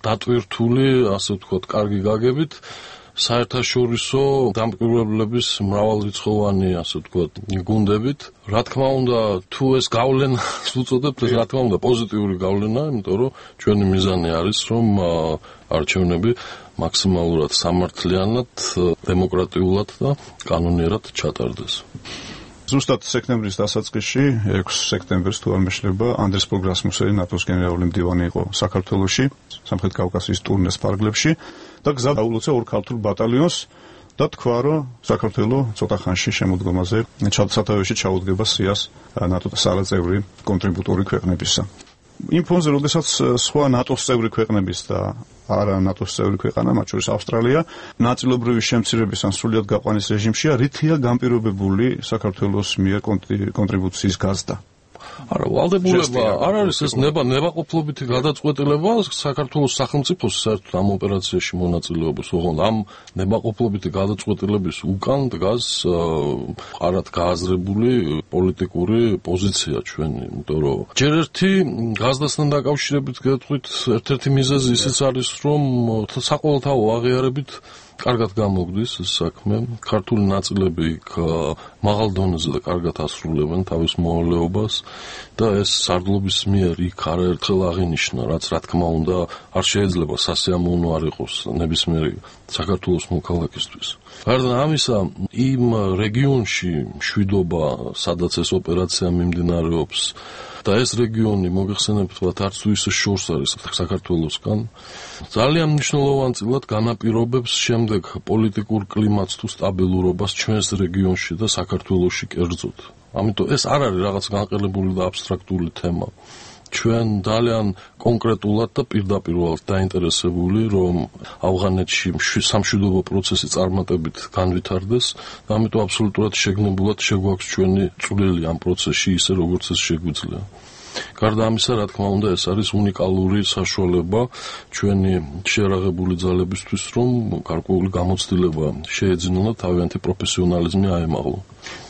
დატვირთული, ასე ვთქვათ, კარგი გაგებით საერთაშორისო დამკვირვებლების მრავალრიცხოვანი, ასე ვთქვათ, გუნდებით. რა თქმა უნდა, თუ ეს გავლენას უწოდებთ, რა თქმა უნდა, პოზიტიური გავლენა, იმიტომ რომ ჩვენი მიზანი არის, რომ არჩევნები მაქსიმალურად სამართლიანად, დემოკრატიულად და კანონიერად ჩატარდეს. ზუსტად სექტემბრის დასაწყისში, 6 სექტემბერს თუ არ მეშლება, ანდრეს პროგრასმუსელი ნატოს გენერალური მდივანი იყო საქართველოში, სამხრეთ კავკასიის ტურნეს ფარგლებში და გზა დაულოცა ორ ქართულ ბატალიონს და თქვა, რომ საქართველო ცოტა ხანში შემოდგომაზე სათავეში ჩაუდგება სიას ნატოს სარაწევრი კონტრიბუტორი ქვეყნებისა. იმ ფონზე, როდესაც სხვა ნატოს წევრი ქვეყნების და არა ნატოს წევრი ქვეყანა, მათ შორის ავსტრალია, ნაწილობრივი შემცირების ან სრულიად გაყვანის რეჟიმშია, რითია განპირობებული საქართველოს მიერ კონტრიბუციის გაზრდა. არა, ვალდებულება არ არის ეს ნებაყოფლობითი გადაწყვეტილება საქართველოს სახელმწიფოს საერთოდ ამ ოპერაციაში მონაწილეობის, ოღონდ ამ ნებაყოფლობითი გადაწყვეტილების უკან დგას არად გააზრებული პოლიტიკური პოზიცია ჩვენი, იმიტომ რომ ჯერ ერთი გაზრდასთან დაკავშირებით გეტყვით, ერთ-ერთი მიზეზი ისიც არის, რომ საყოველთაო აღიარებით კარგად გამოგდის ეს საქმე, ქართული ნაწილები იქ მაღალ დონეზე და კარგად ასრულებენ თავის მოვალეობას და ეს სარდლობის მიერ იქ არაერთხელ აღინიშნა, რაც რა თქმა უნდა არ შეიძლება სასიამოვნო არ იყოს ნებისმიერი საქართველოს მოქალაქისთვის. გარდა ამისა, იმ რეგიონში მშვიდობა, სადაც ეს ოპერაცია მიმდინარეობს და ეს რეგიონი მოგეხსენებთ, არც თუ ისე შორს არის საქართველოსგან, ძალიან მნიშვნელოვანწილად განაპირობებს შემდეგ პოლიტიკურ კლიმატს თუ სტაბილურობას ჩვენს რეგიონში და საქართველოში კერძოდ. ამიტომ ეს არ არის რაღაც განყელებული და აბსტრაქტული თემა. ჩვენ ძალიან კონკრეტულად და პირდაპირულად დაინტერესებული, რომ ავღანეთში სამშვიდობო პროცესი წარმატებით განვითარდეს და ამიტომ აბსოლუტურად შეგნებულად შეგვაქვს ჩვენი წვლილი ამ პროცესში ისე როგორც ეს შეგვიძლია. გარდა ამისა, რა თქმა უნდა, ეს არის უნიკალური საშუალება ჩვენი შეერაღებული ძალებისთვის, რომ გარკვეული გამოცდილება შეეძინონ და თავიანთი პროფესიონალიზმი აემაღლონ.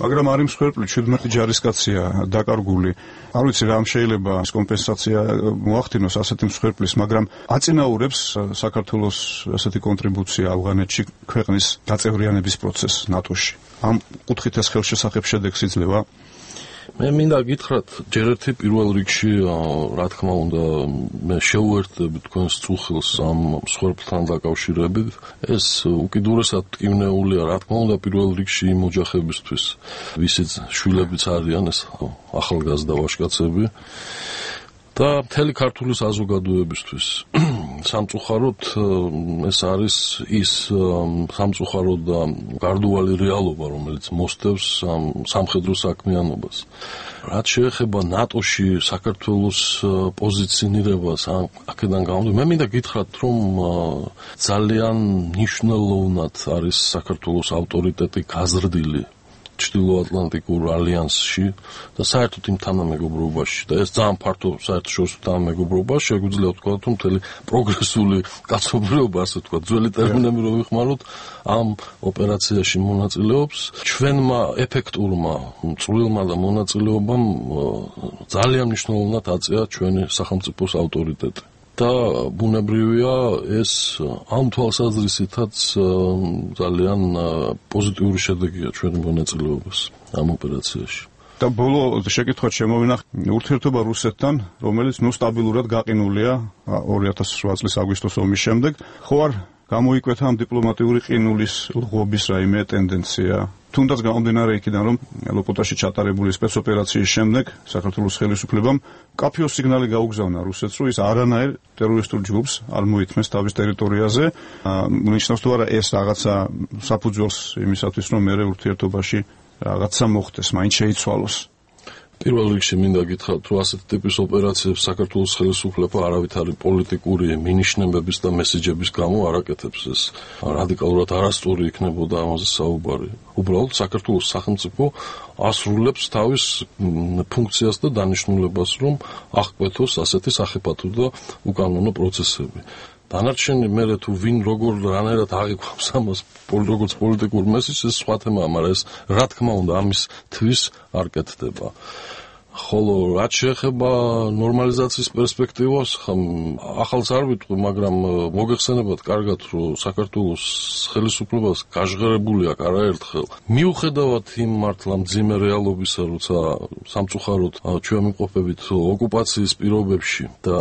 მაგრამ არის მსხვერპლი 17 ჯარისკაცია დაკარგული. არ ვიცი რა შეიძლება ეს კომპენსაცია მოახდინოს ასეთი მსხვერპლის, მაგრამ აწინაურებს საქართველოს ასეთი კონტრიბუცია ავღანეთში ქვეყნის დაწევრიანების პროცესს ნატოში. ამ კუთხით ეს ხელშესახებ შედეგს იძლევა? მე მინდა გითხრათ, ჯერ ერთი პირველ რიგში, რა თქმა უნდა, მე შევუერთდები თქვენს წუხილს ამ მსხვერპლთან დაკავშირებით. ეს უკიდურესად ტკივნეულია, რა თქმა უნდა, პირველ რიგში იმ ოჯახებისთვის, ვისიც შვილებიც არიან, ეს ახალგაზრდა ვაჟკაცები და მთელი ქართული საზოგადოებისთვის. სამწუხაროდ ეს არის ის სამწუხარო და გარდუვალი რეალობა, რომელიც მოსდევს სამხედრო საქმიანობას. რაც შეეხება ნატოში საქართველოს პოზიციონირებას, აქედან გამომდინარე, მე მინდა გითხრათ, რომ ძალიან მნიშვნელოვნად არის საქართველოს ავტორიტეტი გაზრდილი ჩრდილოატლანტიკურ ალიანსში და საერთოდ იმ თანამეგობრობაში და ეს ძალიან ფართო საერთაშორისო თანამეგობრობა შეგვიძლია ვთქვათ, რომ მთელი პროგრესული კაცობრიობა, ასე ვთქვათ, ძველი ტერმინები რო ვიხმაროთ, ამ ოპერაციაში მონაწილეობს. ჩვენმა ეფექტურმა წვრილმა და მონაწილეობამ ძალიან მნიშვნელოვნად აწია ჩვენი სახელმწიფოს ავტორიტეტი. და ბუნებრივია ეს ამ თვალსაზრისითაც ძალიან პოზიტიური შედეგია ჩვენი მონაწილეობის ამ ოპერაციაში. და ბოლო შეკითხვაც შემოვინახე ურთიერთობა რუსეთთან, რომელიც სტაბილურად გაყინულია 2008 წლის აგვისტოს ომის შემდეგ. ხო არ გამოიკვეთა ამ დიპლომატიური ყინულის ლღობის რაიმე ტენდენცია? თუნდაც გამომდინარე იქიდან, რომ ლოპოტაში ჩატარებული სპეცოპერაციის შემდეგ საქართველოს ხელისუფლებამ კაფიოს სიგნალი გაუგზავნა რუსეთს, რომ ის არანაირ ტერორისტულ ჯგუფს არ მოითმეს თავის ტერიტორიაზე. ნიშნავს თუ არა ეს რაღაცა საფუძველს იმისათვის, რომ მეორე ურთიერთობაში რაღაცა მოხდეს, მაინც შეიცვალოს. პირველ რიგში მინდა გითხრათ, რომ ასეთ ტიპის ოპერაციებს საქართველოს ხელისუფლება არავითარი პოლიტიკური მინიშნებების და მესიჯების გამო არ აკეთებს. ეს რადიკალურად არასწორი იქნებოდა ამაზე საუბარი. უბრალოდ საქართველოს სახელმწიფო ასრულებს თავის ფუნქციას და დანიშნულებას, რომ აღკვეთოს ასეთი სახიფათო და უკანონო პროცესები. დანარჩენი მერე თუ ვინ როგორ რანაირად აღიქვამს ამას როგორც პოლიტიკურ მესიჯს, ეს სხვა თემაა, მაგრამ ეს რა თქმა უნდა ამის თვის არ კეთდება. ხოლო რაც შეეხება ნორმალიზაციის პერსპექტივას, ახალს არ ვიტყვი, მაგრამ მოგეხსენებათ კარგად, რომ საქართველოს ხელისუფლებას გაჟღერებული აქვს არაერთხელ. მიუხედავად იმ მართლა მძიმე რეალობისა, როცა სამწუხაროდ ჩვენ ვიმყოფებით ოკუპაციის პირობებში და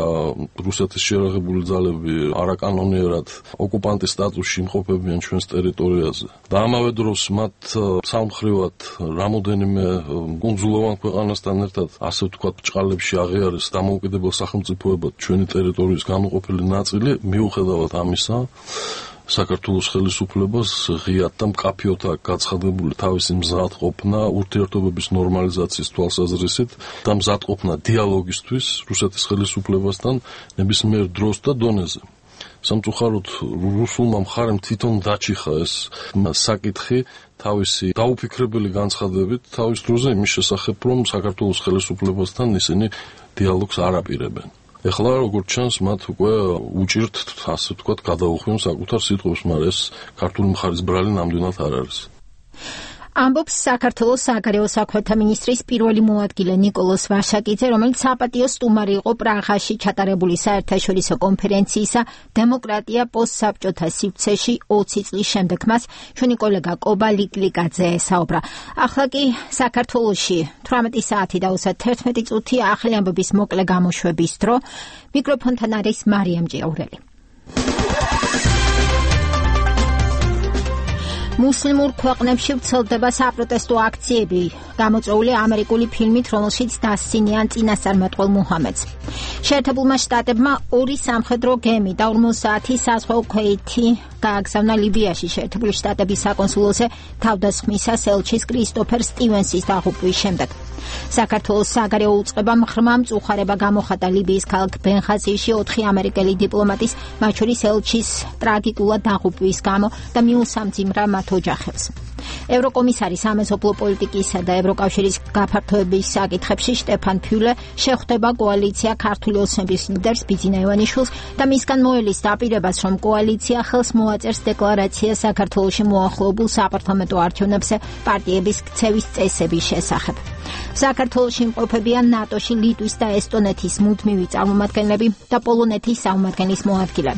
რუსეთის შეერაღებული ძალები არაკანონიერად ოკუპანტის სტატუსში იმყოფებიან ჩვენს ტერიტორიაზე. და ამავე დროს მათ სამხრივად რამოდენიმე კუნძულოვან ქვეყანასთან ერთად ასე ვთქვათ, ბჭყალებში აღიარეს დამოუკიდებელ სახელმწიფოებად ჩვენი ტერიტორიის განუყოფელი ნაწილი, მიუხედავად ამისა, საქართველოს ხელისუფლებას ღიად და მკაფიოდ აქვს გაცხადებული თავისი მზადყოფნა ურთიერთობების ნორმალიზაციის თვალსაზრისით და მზადყოფნა დიალოგისთვის რუსეთის ხელისუფლებასთან ნებისმიერ დროს და დონეზე. სამწუხაროდ რუსულმა მხარემ თვითონ დაჭიხა ეს საკითხი თავისი დაუფიქრებელი განცხადებით თავის დროზე იმის შესახებ, რომ საქართველოს ხელისუფლებასთან ისინი დიალოგს არ აპირებენ. ეხლა როგორც ჩანს, მათ უკვე უჭირთ, ასე ვთქვათ, გადაუხვიონ საკუთარ სიტყვებს, მაგრამ ეს ქართული მხარის ბრალი ნამდვილად არ არის. ამბობს საქართველოს საგარეო საქმეთა მინისტრის პირველი მოადგილე ნიკოლოზ ვაშაკიძე, რომელიც საპატიო სტუმარი იყო პრაღაში ჩატარებული საერთაშორისო კონფერენციისა დემოკრატია პოსტსაბჭოთა სივრცეში 20 წლის შემდეგ. მას ჩვენი კოლეგა კობა ლიკლიკაძე ესაუბრა. ახლა კი საქართველოში 18 საათი და 31 წუთი ახალი ამბების მოკლე გამოშვების დრო. მიკროფონთან არის მარიამ ჭიაურელი. მუსლიმურ ქვეყნებში ვრცელდება საპროტესტო აქციები, გამოწვეული ამერიკული ფილმით, რომელშიც დასცინიან წინასწარმეტყველ მუჰამედს. შეერთებულმა შტატებმა 2 სამხედრო გემი და 50 საზღვაო ქვეითი გააგზავნა ლიბიაში შეერთებული შტატების საკონსულოზე თავდასხმისას ელჩის კრისტოფერ სტივენსის დაღუპვის შემდეგ. საქართველოს საგარეო უწყებამ ღრმა მწუხარება გამოხატა ლიბიის ქალაქ ბენღაზიში 4 ამერიკელი დიპლომატის, მათ შორის ელჩის ტრაგიკულად დაღუპვის გამო და მიუსამძიმრა მათ ოჯახებს. ევროკომისარი სამეზობლო პოლიტიკისა და ევროკავშირის გაფართოების საკითხებში შტეფან ფიულე შეხვდება კოალიცია ქართული ოცნების ლიდერს ბიძინა ივანიშვილს და მისგან მოელის დაპირებას, რომ კოალიცია ხელს მოაწერს დეკლარაციას საქართველოში მოახლოებულ საპარლამენტო არჩევნებზე პარტიების ქცევის წესების შესახებ. საქართველოში იმყოფებიან ნატოში ლიტვის და ესტონეთის მუდმივი წარმომადგენლები და პოლონეთის წარმომადგენლის მოადგილე.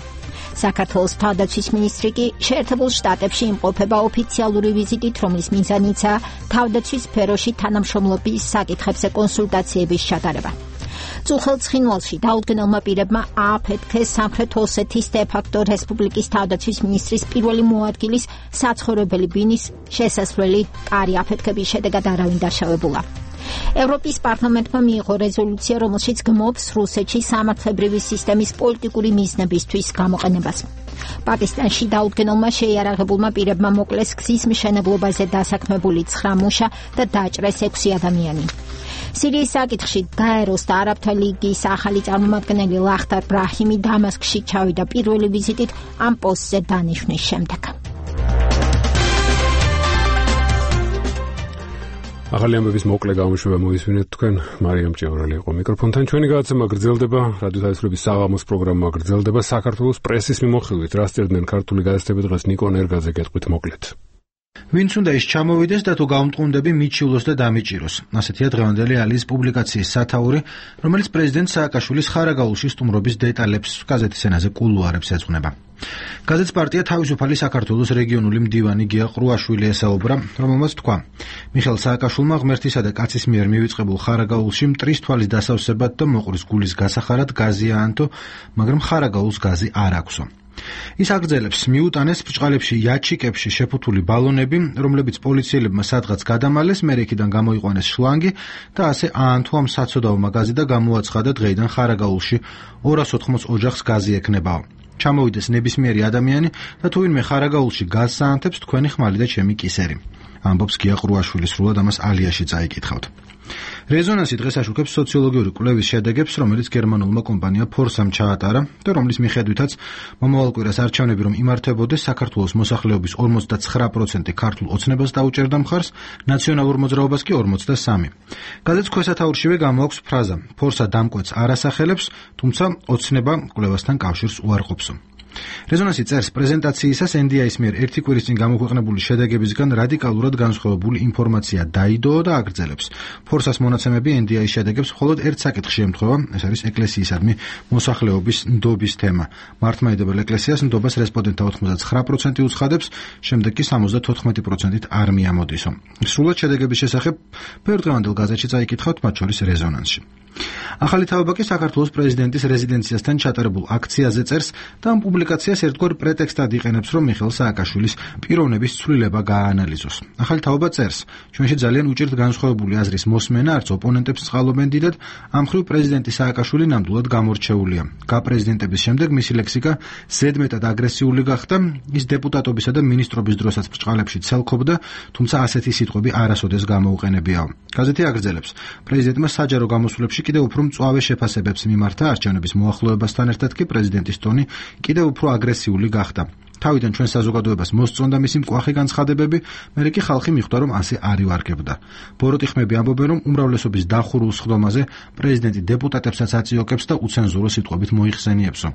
საქართველოს თავდაცვის მინისტრი კი შეერთებულ შტატებში იმყოფება ოფიციალური ვიზიტით, რომლის მიზანიცაა თავდაცვის სფეროში თანამშრომლობის საკითხებზე კონსულტაციების ჩატარება. წუხელ ცხინვალში დაუდგენელმა პირებმა ააფეთქეს სამხრეთ ოსეთის დე-ფაქტო რესპუბლიკის თავდაცვის მინისტრის პირველი მოადგილის საცხოვრებელი ბინის შესასვლელი კარი აფეთქების შედეგად არავინ დაშავებულა. ევროპის პარლამენტმა მიიღო რეზოლუცია, რომელშიც გმობს რუსეთში სამართლებრივი სისტემის პოლიტიკური მიზნებისთვის გამოყენებას. პაკისტანში დაუდგენელმა შეიარაღებულმა პირებმა მოკლეს გზის მშენებლობაზე დასაქმებული 9 მუშა და დაჭრეს 6 ადამიანი. სირიის საკითხში გაეროს და არაბთა ლიგის ახალი წარმომადგენელი ლახტარ ბრაჰიმი დამასკში ჩავიდა პირველი ვიზიტით ამ პოსტზე დანიშვნის შემდეგ. ახალი ამბების მოკლე გამოშვება მოისმინეთ თქვენ. მარიამ ჭიაურელი იყო მიკროფონთან. ჩვენი გადაცემა გრძელდება, რადიო თავისუფლების საღამოს პროგრამა გრძელდება საქართველოს პრესის მიმოხილვით. რა სწერდნენ ქართული გაზეთები დღეს ნიკო ნერგაძე გეტყვით მოკლედ. ვინც უნდა ის ჩამოვიდეს და თუ გაუმტყუნდები მიჩივლოს და დამიჭიროს. ასეთია დღევანდელი ალიის პუბლიკაციის სათაური, რომელიც პრეზიდენტ სააკაშვილის ხარაგაულში სტუმრობის დეტალებს გაზეთის ენაზე კულუარებს ეძღვნება. გაზეთს პარტია თავისუფალი საქართველოს რეგიონული მდივანი გია ყრუაშვილი ესაუბრა, რომელმაც თქვა: მიხეილ სააკაშვილმა ღმერთისა და კაცის მიერ მივიწყებულ ხარაგაულში მტრის თვალის დასავსებად და მოყრის გულის გასახარად გაზი აანთო, მაგრამ ხარაგაულს გაზი არ აქვსო. ის აგრძელებს, მიუტანეს ბრჭყალებში იაჩიკებში შეფუთული ბალონები, რომლებიც პოლიციელებმა სადღაც გადამალეს, მერე იქიდან გამოიყვანეს შლანგი და ასე აანთო ამ საცოდაო მაღაზი და გამოაცხადა დღეიდან ხარაგაულში 280 ოჯახს გაზი ექნებაო. ჩამოვიდეს ნებისმიერი ადამიანი და თუ ვინმე ხარაგაულში გაზს აანთებს, თქვენი ხმალი და ჩემი კისერი. ამბობს გია ყრუაშვილი, სრულად ამას ალიაში წაიკითხავთ. რეზონანსი დღეს აშუქებს სოციოლოგიური კვლევის შედეგებს, რომელიც გერმანულმა კომპანია ფორსამ ჩაატარა და რომლის მიხედვითაც მომავალ კვირას არჩევნები რომ იმართებოდეს, საქართველოს მოსახლეობის 49% ქართულ ოცნებას დაუჭერდა მხარს, ნაციონალურ მოძრაობას კი 43%. გაზეთს ქვესათაურშივე გამოაქვს ფრაზა: ფორსა დამკვეთს არ ასახელებს, თუმცა ოცნება კვლევასთან კავშირს უარყოფსო. რეზონანსი წერს, პრეზენტაციისას NDI-ის მიერ ერთი კვირის წინ გამოქვეყნებული შედეგებისგან რადიკალურად განსხვავებული ინფორმაცია დაიდოო და აგრძელებს. ფორსას მონაცემები NDI-ის შედეგებს მხოლოდ ერთ საკითხში ემთხვევა, ეს არის ეკლესიისადმი მოსახლეობის ნდობის თემა. მართლმადიდებელ ეკლესიას ნდობას რესპონდენტთა 89% უცხადებს, შემდეგ კი 74%-ით არ მიამოდისო. სრულად შედეგების შესახებ ბევრ დღევანდელ გაზეთში წაიკითხავთ, მათ შორის რეზონანსში. ახალი თავობა კი საქართველოს პრეზიდენტის რეზიდენციასთან ჩატარებულ აქციაზე წერს და ამ პუბლიკაციას ერთგვარ პრეტექსტად იყენებს, რომ მიხეილ სააკაშვილის პიროვნების ცვლილება გააანალიზოს. ახალი თავობა წერს: ჩვენში ძალიან უჭირთ განსხვავებული აზრის მოსმენა, არც ოპონენტებს წყალობენ დიდად, ამ მხრივ პრეზიდენტი სააკაშვილი ნამდვილად გამორჩეულია. გაპრეზიდენტების შემდეგ მისი ლექსიკა ზედმეტად აგრესიული გახდა, ის დეპუტატობისა და მინისტრობის დროსაც ბრჭყალებში ცელქობდა, თუმცა ასეთი სიტყვები არასოდეს გამოუყენებიაო. გაზეთი აგრძელებს: პრეზიდენტმა საჯარო გამოსვლებში კიდევ უფრო მწვავე შეფასებებს მიმართა, არჩევნების მოახლოებასთან ერთად კი პრეზიდენტის ტონი კიდევ უფრო აგრესიული გახდა. თავიდან ჩვენ საზოგადოებას მოსწონდა მისი მკვახე განცხადებები, მერე კი ხალხი მიხვდა, რომ ასე არ ივარგებდა. ბოროტი ხმები ამბობენ, რომ უმრავლესობის დახურულ სხდომაზე პრეზიდენტი დეპუტატებსაც აწიოკებს და უცენზურო სიტყვებით მოიხსენიებსო.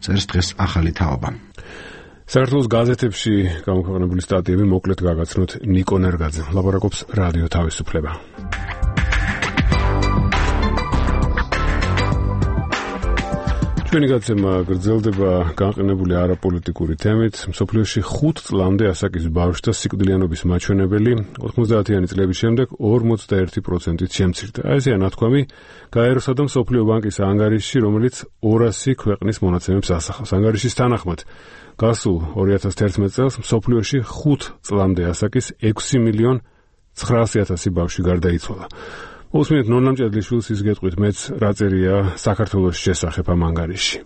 წერს დღეს ახალი თაობა. საქართველოს გაზეთებში გამოქვეყნებული სტატიები მოკლედ გაგაცნოთ ნიკო ნერგაძე. ლაპარაკობს რადიო თავისუფლება. ჩვენი გაცემა გრძელდება განყენებული არაპოლიტიკური თემით. მსოფლიოში 5 წლამდე ასაკის ბავშვთა სიკვდილიანობის მაჩვენებელი 90-იანი წლების შემდეგ 41%-ით შემცირდა. ესეა ნათქვამი გაეროსა და მსოფლიო ბანკის ანგარიშში, რომელიც 200 ქვეყნის მონაცემებს ასახავს. ანგარიშის თანახმად, გასულ 2011 წელს მსოფლიოში 5 წლამდე ასაკის 6.900.000 ბავშვი გარდაიცვალა. უსმენთ ნონა მჭედლიშვილს ის გეტყვით მეც რა წერია საქართველოს შესახებ ამ ანგარიშში.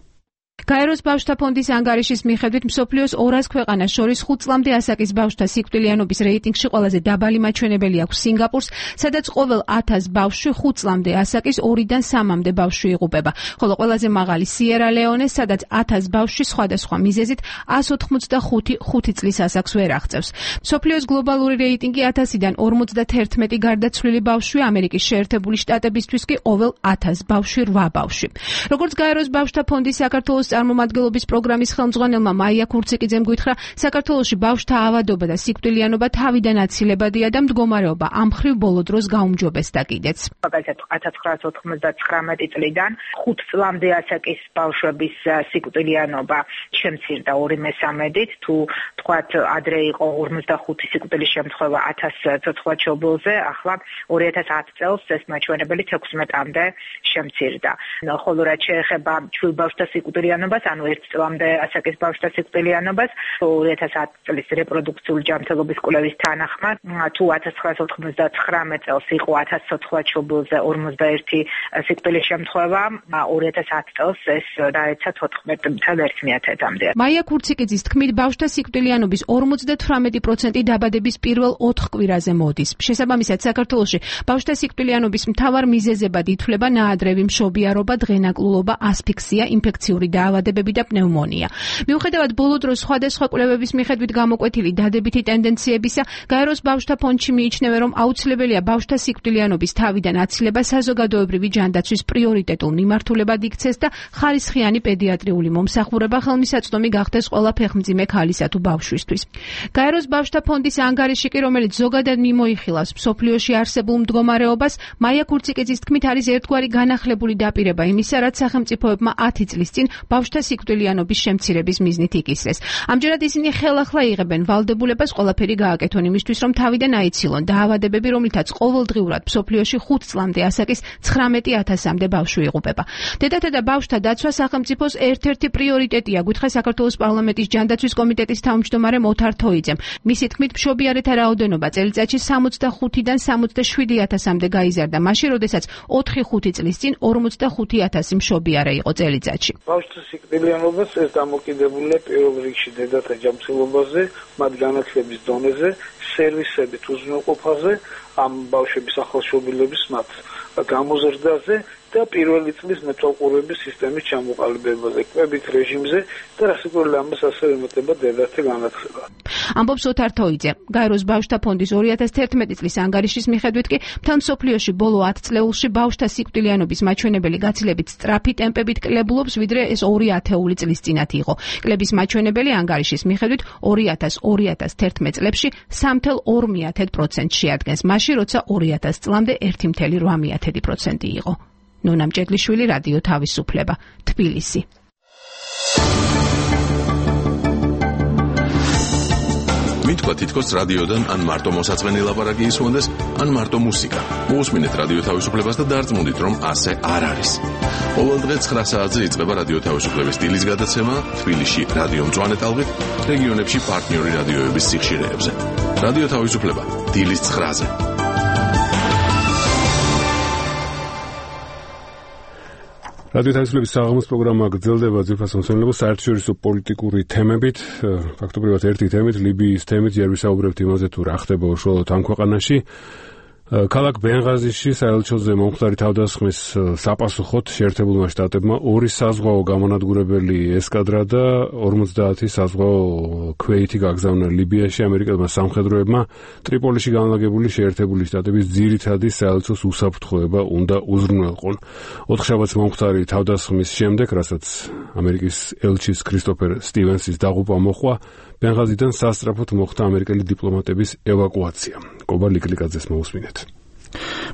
გაეროს ბავშვთა ფონდის ანგარიშის მიხედვით მსოფლიოს 200 ქვეყანას შორის 5 წლამდე ასაკის ბავშვთა სიკვდილიანობის რეიტინგში ყველაზე დაბალი მაჩვენებელი აქვს სინგაპურს, სადაც ყოველ 1000 ბავშვი 5 წლამდე ასაკის 2-დან 3-მდე ბავშვი იღუპება, ხოლო ყველაზე მაღალი სიერა ლეონე, სადაც 1000 ბავშვი სხვადასხვა მიზეზით 185 წლის ასაკს ვერ აღწევს. მსოფლიოს გლობალური რეიტინგი 1000-დან 51 გარდაცვლილი ბავშვი, ამერიკის შეერთებული შტატებისთვის კი ყოველ 1000 ბავშვი 8 ბავშვი. როგორც გაეროს ბავშვთა ფონდის საქართველოს წარმომადგენლობის პროგრამის ხელმძღვანელმა მაია ქურციკიძემ გითხრა, საქართველოში ბავშვთა ავადობა და სიკვდილიანობა თავიდან აცილებადია და მდგომარეობა ამ მხრივ ბოლო დროს გაუმჯობესდა კიდეც. მაგალითად 1999 წლიდან 5 წლამდე ასაკის ბავშვების სიკვდილიანობა შემცირდა 2/3-ით, თუ თქვათ ადრე იყო 55 სიკვდილის შემთხვევა 1000 ცოცხლაჩვეულებაზე, ახლა 2010 წელს ეს მაჩვენებელი 16-მდე შემცირდა. ხოლო რაც შეეხება ჩვილბავშვთა სიკვდილიანობას, ანუ 1 წლამდე ასაკის ბავშვთა სიკვდილიანობას, 2010 წლის რეპროდუქციული ჯანმრთელობის კვლევის თანახმად, თუ 1999 წელს იყო 1000 ცოცხლაჩვეულებაზე 41 სიკვდილის შემთხვევა, 2010 წელს ეს დაეცა 14.1%-მდე. მაია ქურციკიძის თქმით, ბავშვთა სიკვდილიანობის 58% დაბადების პირველ 4 კვირაზე მოდის. შესაბამისად, საქართველოში ბავშვთა სიკვდილიანობის მთავარ მიზეზებად ითვლება ნაადრევი მშობიარობა, დღენაკლულობა, ასფიქსია, ინფექციური დაავადებები დაავადებები და პნევმონია. მიუხედავად ბოლო დროს სხვადასხვა კვლევების მიხედვით გამოკვეთილი დადებითი ტენდენციებისა, გაეროს ბავშვთა ფონდში მიიჩნევენ, რომ აუცილებელია ბავშვთა სიკვდილიანობის თავიდან აცილება საზოგადოებრივი ჯანდაცვის პრიორიტეტულ მიმართულებად იქცეს და ხარისხიანი პედიატრიული მომსახურება ხელმისაწვდომი გახდეს ყველა ფეხმძიმე ქალისა თუ ბავშვისთვის. გაეროს ბავშვთა ფონდის ანგარიში კი, რომელიც ზოგადად მიმოიხილავს მსოფლიოში არსებულ მდგომარეობას, მაია ქურციკიძის თქმით არის ერთგვარი განახლებული დაპირება იმისა, რაც სახელმწიფოებმა 10 წლის წინ ბავშვთა სიკვდილიანობის შემცირების მიზნით იკისრეს. ამჯერად ისინი ხელახლა იღებენ ვალდებულებას ყველაფერი გააკეთონ იმისთვის, რომ თავიდან აიცილონ დაავადებები, რომლითაც ყოველდღიურად მსოფლიოში 5 წლამდე ასაკის 19,000-მდე ბავშვი იღუპება. დედათა და ბავშვთა დაცვა სახელმწიფოს ერთ-ერთი პრიორიტეტია, გითხრა საქართველოს პარლამენტის ჯანდაცვის კომიტეტის თავმჯდომარე მოთარ თოიძემ. მისი თქმით, მშობიარეთა რაოდენობა წელიწადში 65-დან 77,000-მდე გაიზარდა, მაშინ, როდესაც 4-5 წლის წინ 45,000 მშობიარე იყო წელიწადში. ბავშვთა სიკვდილიანობას ეს დამოკიდებულია პირველ რიგში დედათა ჯანმრთელობაზე, მათ განათლების დონეზე, სერვისებით უზრუნველყოფაზე, ამ ბავშვების ახალშობილების მათ გამოზრდაზე და პირველი წლის მეთვალყურების სისტემის ჩამოყალიბებაზე, კვებით რეჟიმზე და რასაკვირველია ამას ასევე ემატება დედათა განათლება. ამბობს ოთარ თოიძე. გაეროს ბავშვთა ფონდის 2011 წლის ანგარიშის მიხედვით კი მთელ მსოფლიოში ბოლო 10 წლეულში ბავშვთა სიკვდილიანობის მაჩვენებელი გაცილებით სწრაფი ტემპებით კლებულობს, ვიდრე ეს 2 ათეული წლის წინათ იყო. კლების მაჩვენებელი ანგარიშის მიხედვით 2000-2011 წლებში 3,2% შეადგენს, მაშინ როცა 2000 წლამდე 1,8% იყო. ნონა მჭედლიშვილი, რადიო თავისუფლება, თბილისი. მითქვა თითქოს რადიოდან ან მარტო მოსაწყენი ლაპარაკი ისმონდეს, ან მარტო მუსიკა. მოусმინეთ რადიო თავისუფლებას და დარწმუნდით, რომ ასე არ არის. ყოველდღე 9 საათზე იწყება რადიო თავისუფლების დილის გადაცემა თბილისში რადიო მწვანე ტალღით, რეგიონებში პარტნიორი რადიოების სიხშირეებზე. რადიო თავისუფლება დილის 9-ზე. რადიო თავისუფლების საღამოს პროგრამა გრძელდება ძირფას მოსმენელობა საერთაშორისო პოლიტიკური თემებით, ფაქტობრივად ერთი თემით, ლიბიის თემით, ჯერ ვისაუბრებთ იმაზე, თუ რა ხდება უშუალოდ ამ ქვეყანაში. ქალაქ ბენღაზიში საელჩოზე მომხდარი თავდასხმის საპასუხოდ შეერთებულმა შტატებმა 2 საზღვაო გამონადგურებელი ესკადრა და 50 საზღვაო ქვეითი გაგზავნა ლიბიაში. ამერიკელმა სამხედროებმა ტრიპოლიში განლაგებული შეერთებული შტატების ძირითადი საელჩოს უსაფრთხოება უნდა უზრუნველყონ. 4 შაბათს მომხდარი თავდასხმის შემდეგ, რასაც ამერიკის ელჩის კრისტოფერ სტივენსის დაღუპვა მოჰყვა, ბენღაზიდან სასწრაფოდ მოხდა ამერიკელი დიპლომატების ევაკუაცია. კობა ლიკლიკაძეს მოусმინეთ.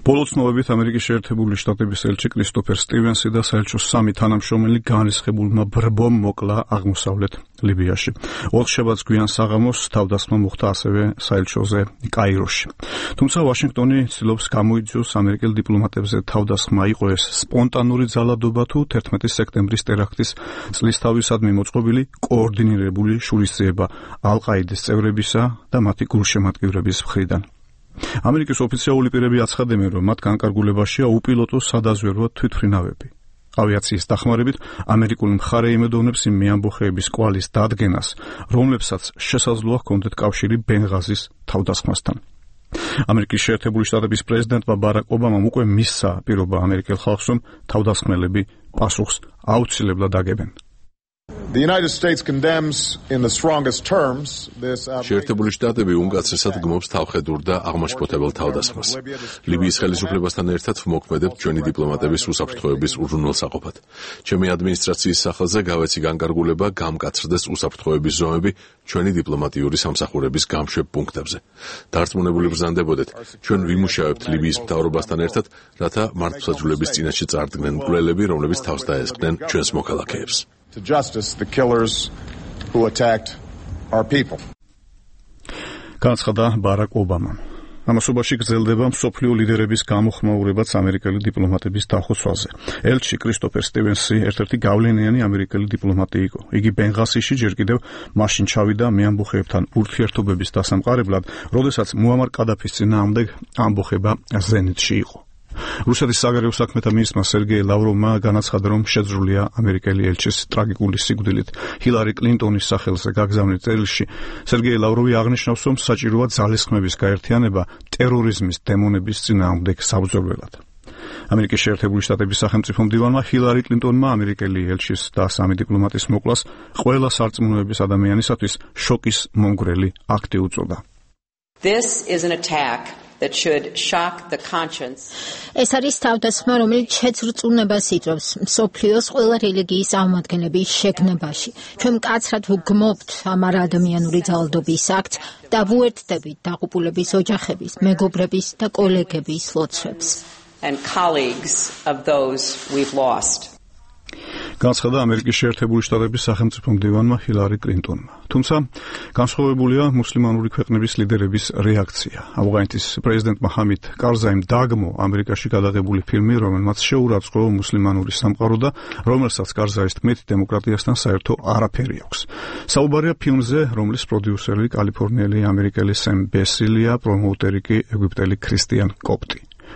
ბოლო ცნობებით ამერიკის შეერთებული შტატების ელჩი კრისტოფერ სტივენსი და საელჩოს 3 თანამშრომელი განრისხებულმა ბრბომ მოკლა აღმოსავლეთ ლიბიაში. 4 შაბათს გვიან საღამოს თავდასხმა მოხდა ასევე საელჩოზე კაიროში. თუმცა ვაშინგტონი ცდილობს გამოიძიოს ამერიკელ დიპლომატებზე თავდასხმა იყო ეს სპონტანური ძალადობა თუ 11 სექტემბრის ტერაქტის წლისთავისადმი მოწყობილი კოორდინირებული შურისძიება ალ-ყაიდის წევრებისა და მათი გულშემატკივრების მხრიდან. ამერიკის ოფიციალური პირები აცხადებენ, რომ მათ განკარგულებაშია უპილოტო სადაზვერვო თვითმფრინავები. ავიაციის დახმარებით ამერიკული მხარე იმედოვნებს იმ მეამბოხეების კვალის დადგენას, რომლებსაც შესაძლოა ჰქონდეთ კავშირი ბენღაზის თავდასხმასთან. ამერიკის შეერთებული შტატების პრეზიდენტმა ბარაკ ობამამ უკვე მისცა პირობა ამერიკელ ხალხს, რომ თავდასხმელები პასუხს აუცილებლად აგებენ. The United States condemns in the strongest terms this შეერთებული შტატები უმკაცრესად გმობს თავხედურ და აღმაშფოთებელ თავდასხმას. ლიბიის ხელისუფლებასთან ერთად ვმოქმედებთ ჩვენი დიპლომატების უსაფრთხოების უზრუნველსაყოფად. ჩემი ადმინისტრაციის სახელზე გავეცი განკარგულება გამკაცრდეს უსაფრთხოების ზომები ჩვენი დიპლომატიური სამსახურების გამშვებ პუნქტებზე. დარწმუნებული ვბრძანდებოდეთ, ჩვენ ვიმუშავებთ ლიბიის მთავრობასთან ერთად, რათა მართლმსაჯულების წინაშე წარდგნენ მკვლელები, რომლებიც თავს დაესხნენ ჩვენს მოქალაქეებს. To justice the killers who attacked our people. განცხადა ბარაკ ობამა. ამასობაში გრძელდება მსოფლიო ლიდერების გამოხმაურებაც ამერიკელი დიპლომატების დახოცვაზე. ელჩი კრისტოფერ სტივენსი ერთ-ერთი გავლენიანი ამერიკელი დიპლომატი იყო. იგი ბენღაზიში ჯერ კიდევ მაშინ ჩავიდა მეამბოხეებთან ურთიერთობების დასამყარებლად, როდესაც მუამარ კადაფის წინააღმდეგ ამბოხება ზენიტში იყო. რუსეთის საგარეო საქმეთა მინისტრმა სერგეი ლავროვმა განაცხადა, რომ შეძრულია ამერიკელი ელჩის ტრაგიკული სიკვდილით. ჰილარი კლინტონის სახელზე გაგზავნილ წერილში სერგეი ლავროვი აღნიშნავს, რომ საჭიროა ძალისხმების გაერთიანება ტერორიზმის დემონების წინააღმდეგ საბრძოლველად. ამერიკის შეერთებული შტატების სახელმწიფო მდივანმა ჰილარი კლინტონმა ამერიკელი ელჩის და სამი დიპლომატის მოკლას ყველა სარწმუნოების ადამიანისათვის შოკის მომგვრელი აქტი უწოდა. This is an attack that should shock the conscience. ეს არის თავდასხმა, რომელიც შეცრწუნებას იწვევს მსოფლიოს ყველა რელიგიის აღმადგენლების შეგნებაში. ჩვენ მკაცრად ვგმობთ ამ არაადამიანური ძალადობის აქტს და ვუერთდებით დაღუპულების ოჯახების, მეგობრების და კოლეგების ლოცვებს. And colleagues of those we've lost. განცხადა ამერიკის შეერთებული შტატების სახელმწიფო მდივანმა ჰილარი კლინტონმა. თუმცა განსხვავებულია მუსლიმანური ქვეყნების ლიდერების რეაქცია. ავღანეთის პრეზიდენტმა ჰამიდ კარზაიმ დაგმო ამერიკაში გადაღებული ფილმი, რომელმაც შეურაცხყოფა მუსლიმანური სამყარო და რომელსაც კარზაის თქმით დემოკრატიასთან საერთო არაფერი აქვს. საუბარია ფილმზე, რომლის პროდიუსერი კალიფორნიელი ამერიკელი სემ ბესილია, პრომოუტერი კი ეგვიპტელი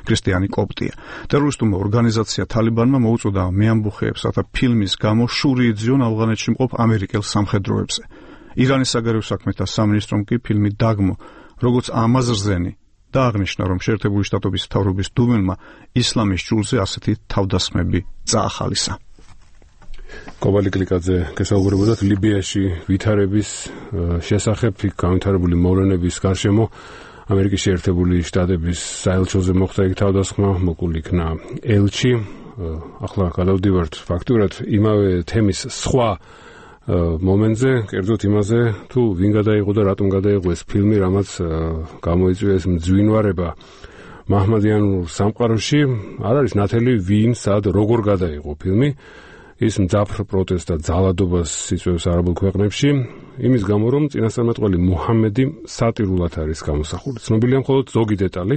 ქრისტიანი კოპტია. ტერორისტულმა ორგანიზაცია თალიბანმა მოუწოდა მეამბოხეებს, რათა ფილმის გამო შური იძიონ ავღანეთში მყოფ ამერიკელ სამხედროებზე. ირანის საგარეო საქმეთა სამინისტრომ კი ფილმი დაგმო, როგორც ამაზრზენი და აღნიშნა, რომ შეერთებული შტატების მთავრობის დუმელმა ისლამის ჭურზე ასეთი თავდასხმები წაახალისა. კობალი კლიკაძე გესაუბრებოდათ ლიბიაში ვითარების შესახებ, იქ განვითარებული მოვლენების გარშემო ამერიკის შეერთებული შტატების საელჩოზე მოხდა იქ თავდასხმა, მოკლ იქნა ელჩი. ახლა გადავდივართ ფაქტურად იმავე თემის სხვა მომენტზე, კერძოდ იმაზე, თუ ვინ გადაიღო და რატომ გადაიღო ეს ფილმი, რამაც გამოიწვია ეს მძვინვარება მაჰმადიანურ სამყაროში. არ არის ნათელი ვინ, სად, როგორ გადაიღო ფილმი. ის მძაფრ პროტესტს და ძალადობას იწვევს არაბულ ქვეყნებში, იმის გამო, რომ წინასწარმეტყველი მუჰამედი სატირულად არის გამოსახული. ცნობილია მხოლოდ ზოგი დეტალი,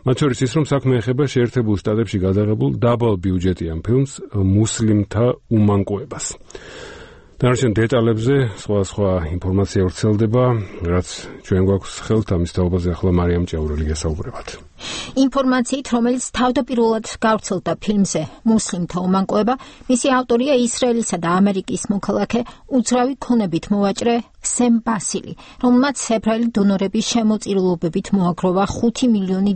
მათ შორის ის, რომ საქმე ეხება შეერთებულ შტატებში გადაღებულ დაბალბიუჯეტიან ფილმს მუსლიმთა უმანკოებას. დანარჩენ დეტალებზე სხვა ინფორმაცია ვრცელდება, რაც ჩვენ გვაქვს ხელთ, ამის თაობაზე ახლა მარიამ ჭეურელი გესაუბრებათ. ინფორმაციით, რომელიც თავდაპირველად გავრცელდა ფილმზე მუსლიმთა უმანკოება, მისი ავტორია ისრაელისა და ამერიკის მოქალაქე უძრავი ქონებით მოვაჭრე სემ ბასილი, რომელმაც ებრაელი დონორების შემოწირულობებით მოაგროვა $5 მილიონი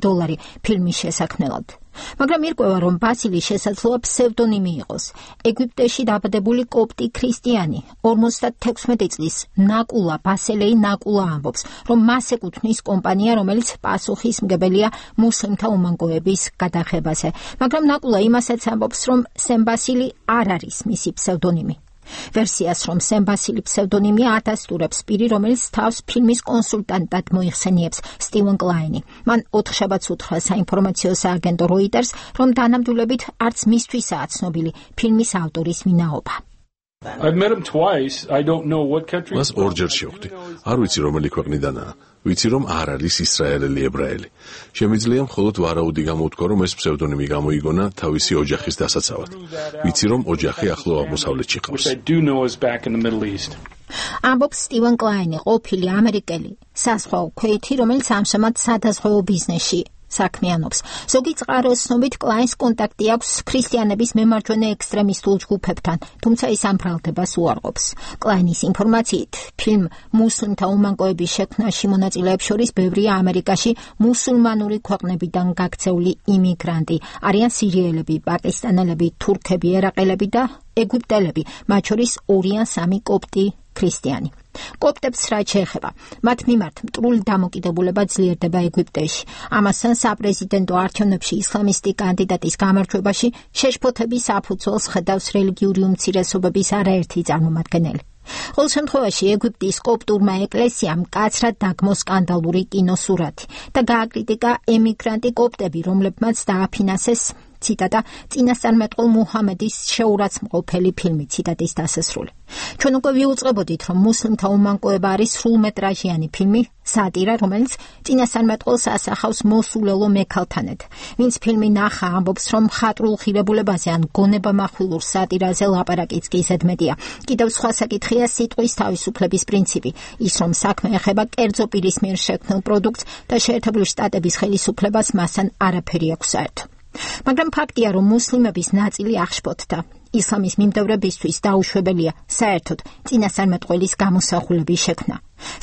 ფილმის შესაქმნელად. მაგრამ ირკვევა, რომ ბასილი შესაძლოა ფსევდონიმი იყოს. ეგვიპტეში დაბადებული კოპტი ქრისტიანი 56 წლის ნაკულა ბასელეი ნაკულა ამბობს, რომ მას ეკუთვნის კომპანია, რომელიც პასუხისმგებელია მუსლიმთა უმანკოების გადაღებაზე. მაგრამ ნაკულა იმასაც ამბობს, რომ სემ ბასილი არ არის მისი ფსევდონიმი. ვერსიას, რომ სემ ბასილი ფსევდონიმია ადასტურებს პირი, რომელიც თავს ფილმის კონსულტანტად მოიხსენიებს სტივენ კლაინი. მან 4 შაბათს უთხრა საინფორმაციო სააგენტო როიტერს, რომ დანამდვილებით არც მისთვისაა ცნობილი ფილმის ავტორის ვინაობა. მას ორჯერ შევხვდი. არ ვიცი რომელი ქვეყნიდანაა. ვიცი რომ არ არის ისრაელელი ებრაელი. შემიძლია მხოლოდ ვარაუდი გამოვთქვა, რომ ეს ფსევდონიმი გამოიგონა თავისი ოჯახის დასაცავად. ვიცი რომ ოჯახი ახლო აღმოსავლეთში ყავს. ამბობს სტივენ კლაინი, ყოფილი ამერიკელი საზღვაო ქვეითი, რომელიც ამჟამად სადაზღვეო ბიზნესში საქმიანობს. ზოგი წყაროს ცნობით კლაინს კონტაქტი აქვს ქრისტიანების მემარჯვენე ექსტრემისტულ ჯგუფებთან, თუმცა ის ამ ბრალდებას უარყოფს. კლაინის ინფორმაციით, ფილმ მუსლიმთა უმანკოების შექმნაში მონაწილეებს შორის ბევრია ამერიკაში მუსულმანური ქვეყნებიდან გაქცეული იმიგრანტი. არიან სირიელები, პაკისტანელები, თურქები, ერაყელები და ეგვიპტელები, მათ შორის 2 ან 3 კოპტი ქრისტიანი. კოპტებს რაც შეეხება, მათ მიმართ მტრული დამოკიდებულება ძლიერდება ეგვიპტეში. ამასთან საპრეზიდენტო არჩევნებში ისლამისტი კანდიდატის გამარჯვებაში შეშფოთების საფუძველს ხედავს რელიგიური უმცირესობების არაერთი წარმომადგენელი. ყოველ შემთხვევაში ეგვიპტის კოპტურმა ეკლესიამ მკაცრად დაგმო სკანდალური კინოსურათი და გააკრიტიკა ემიგრანტი კოპტები, რომლებმაც დააფინანსეს ციტატა წინასწარმეტყველ მუჰამედის შეურაცხმყოფელი ფილმი, ციტატის დასასრული. ჩვენ უკვე ვიუწყებოდით, რომ მუსლიმთა უმანკოება არის სრულმეტრაჟიანი ფილმი, სატირა, რომელიც წინასწარმეტყველს ასახავს მოსულელო მექალთანეთ. ვინც ფილმი ნახა, ამბობს, რომ მხატვრულ ღირებულებაზე ან გონებამახვილურ სატირაზე ლაპარაკიც კი ზედმეტია. კიდევ სხვა საკითხია სიტყვის თავისუფლების პრინციპი, ის რომ საქმე ეხება კერძო პირის მიერ შექმნილ პროდუქტს და შეერთებული შტატების ხელისუფლებას მასთან არაფერი აქვს საერთო. მაგრამ ფაქტია, რომ მუსლიმების ნაწილი აღშფოთდა. ისლამის მიმდევრებისთვის დაუშვებელია საერთოდ წინასწარმეტყველის გამოსახულების შექმნა.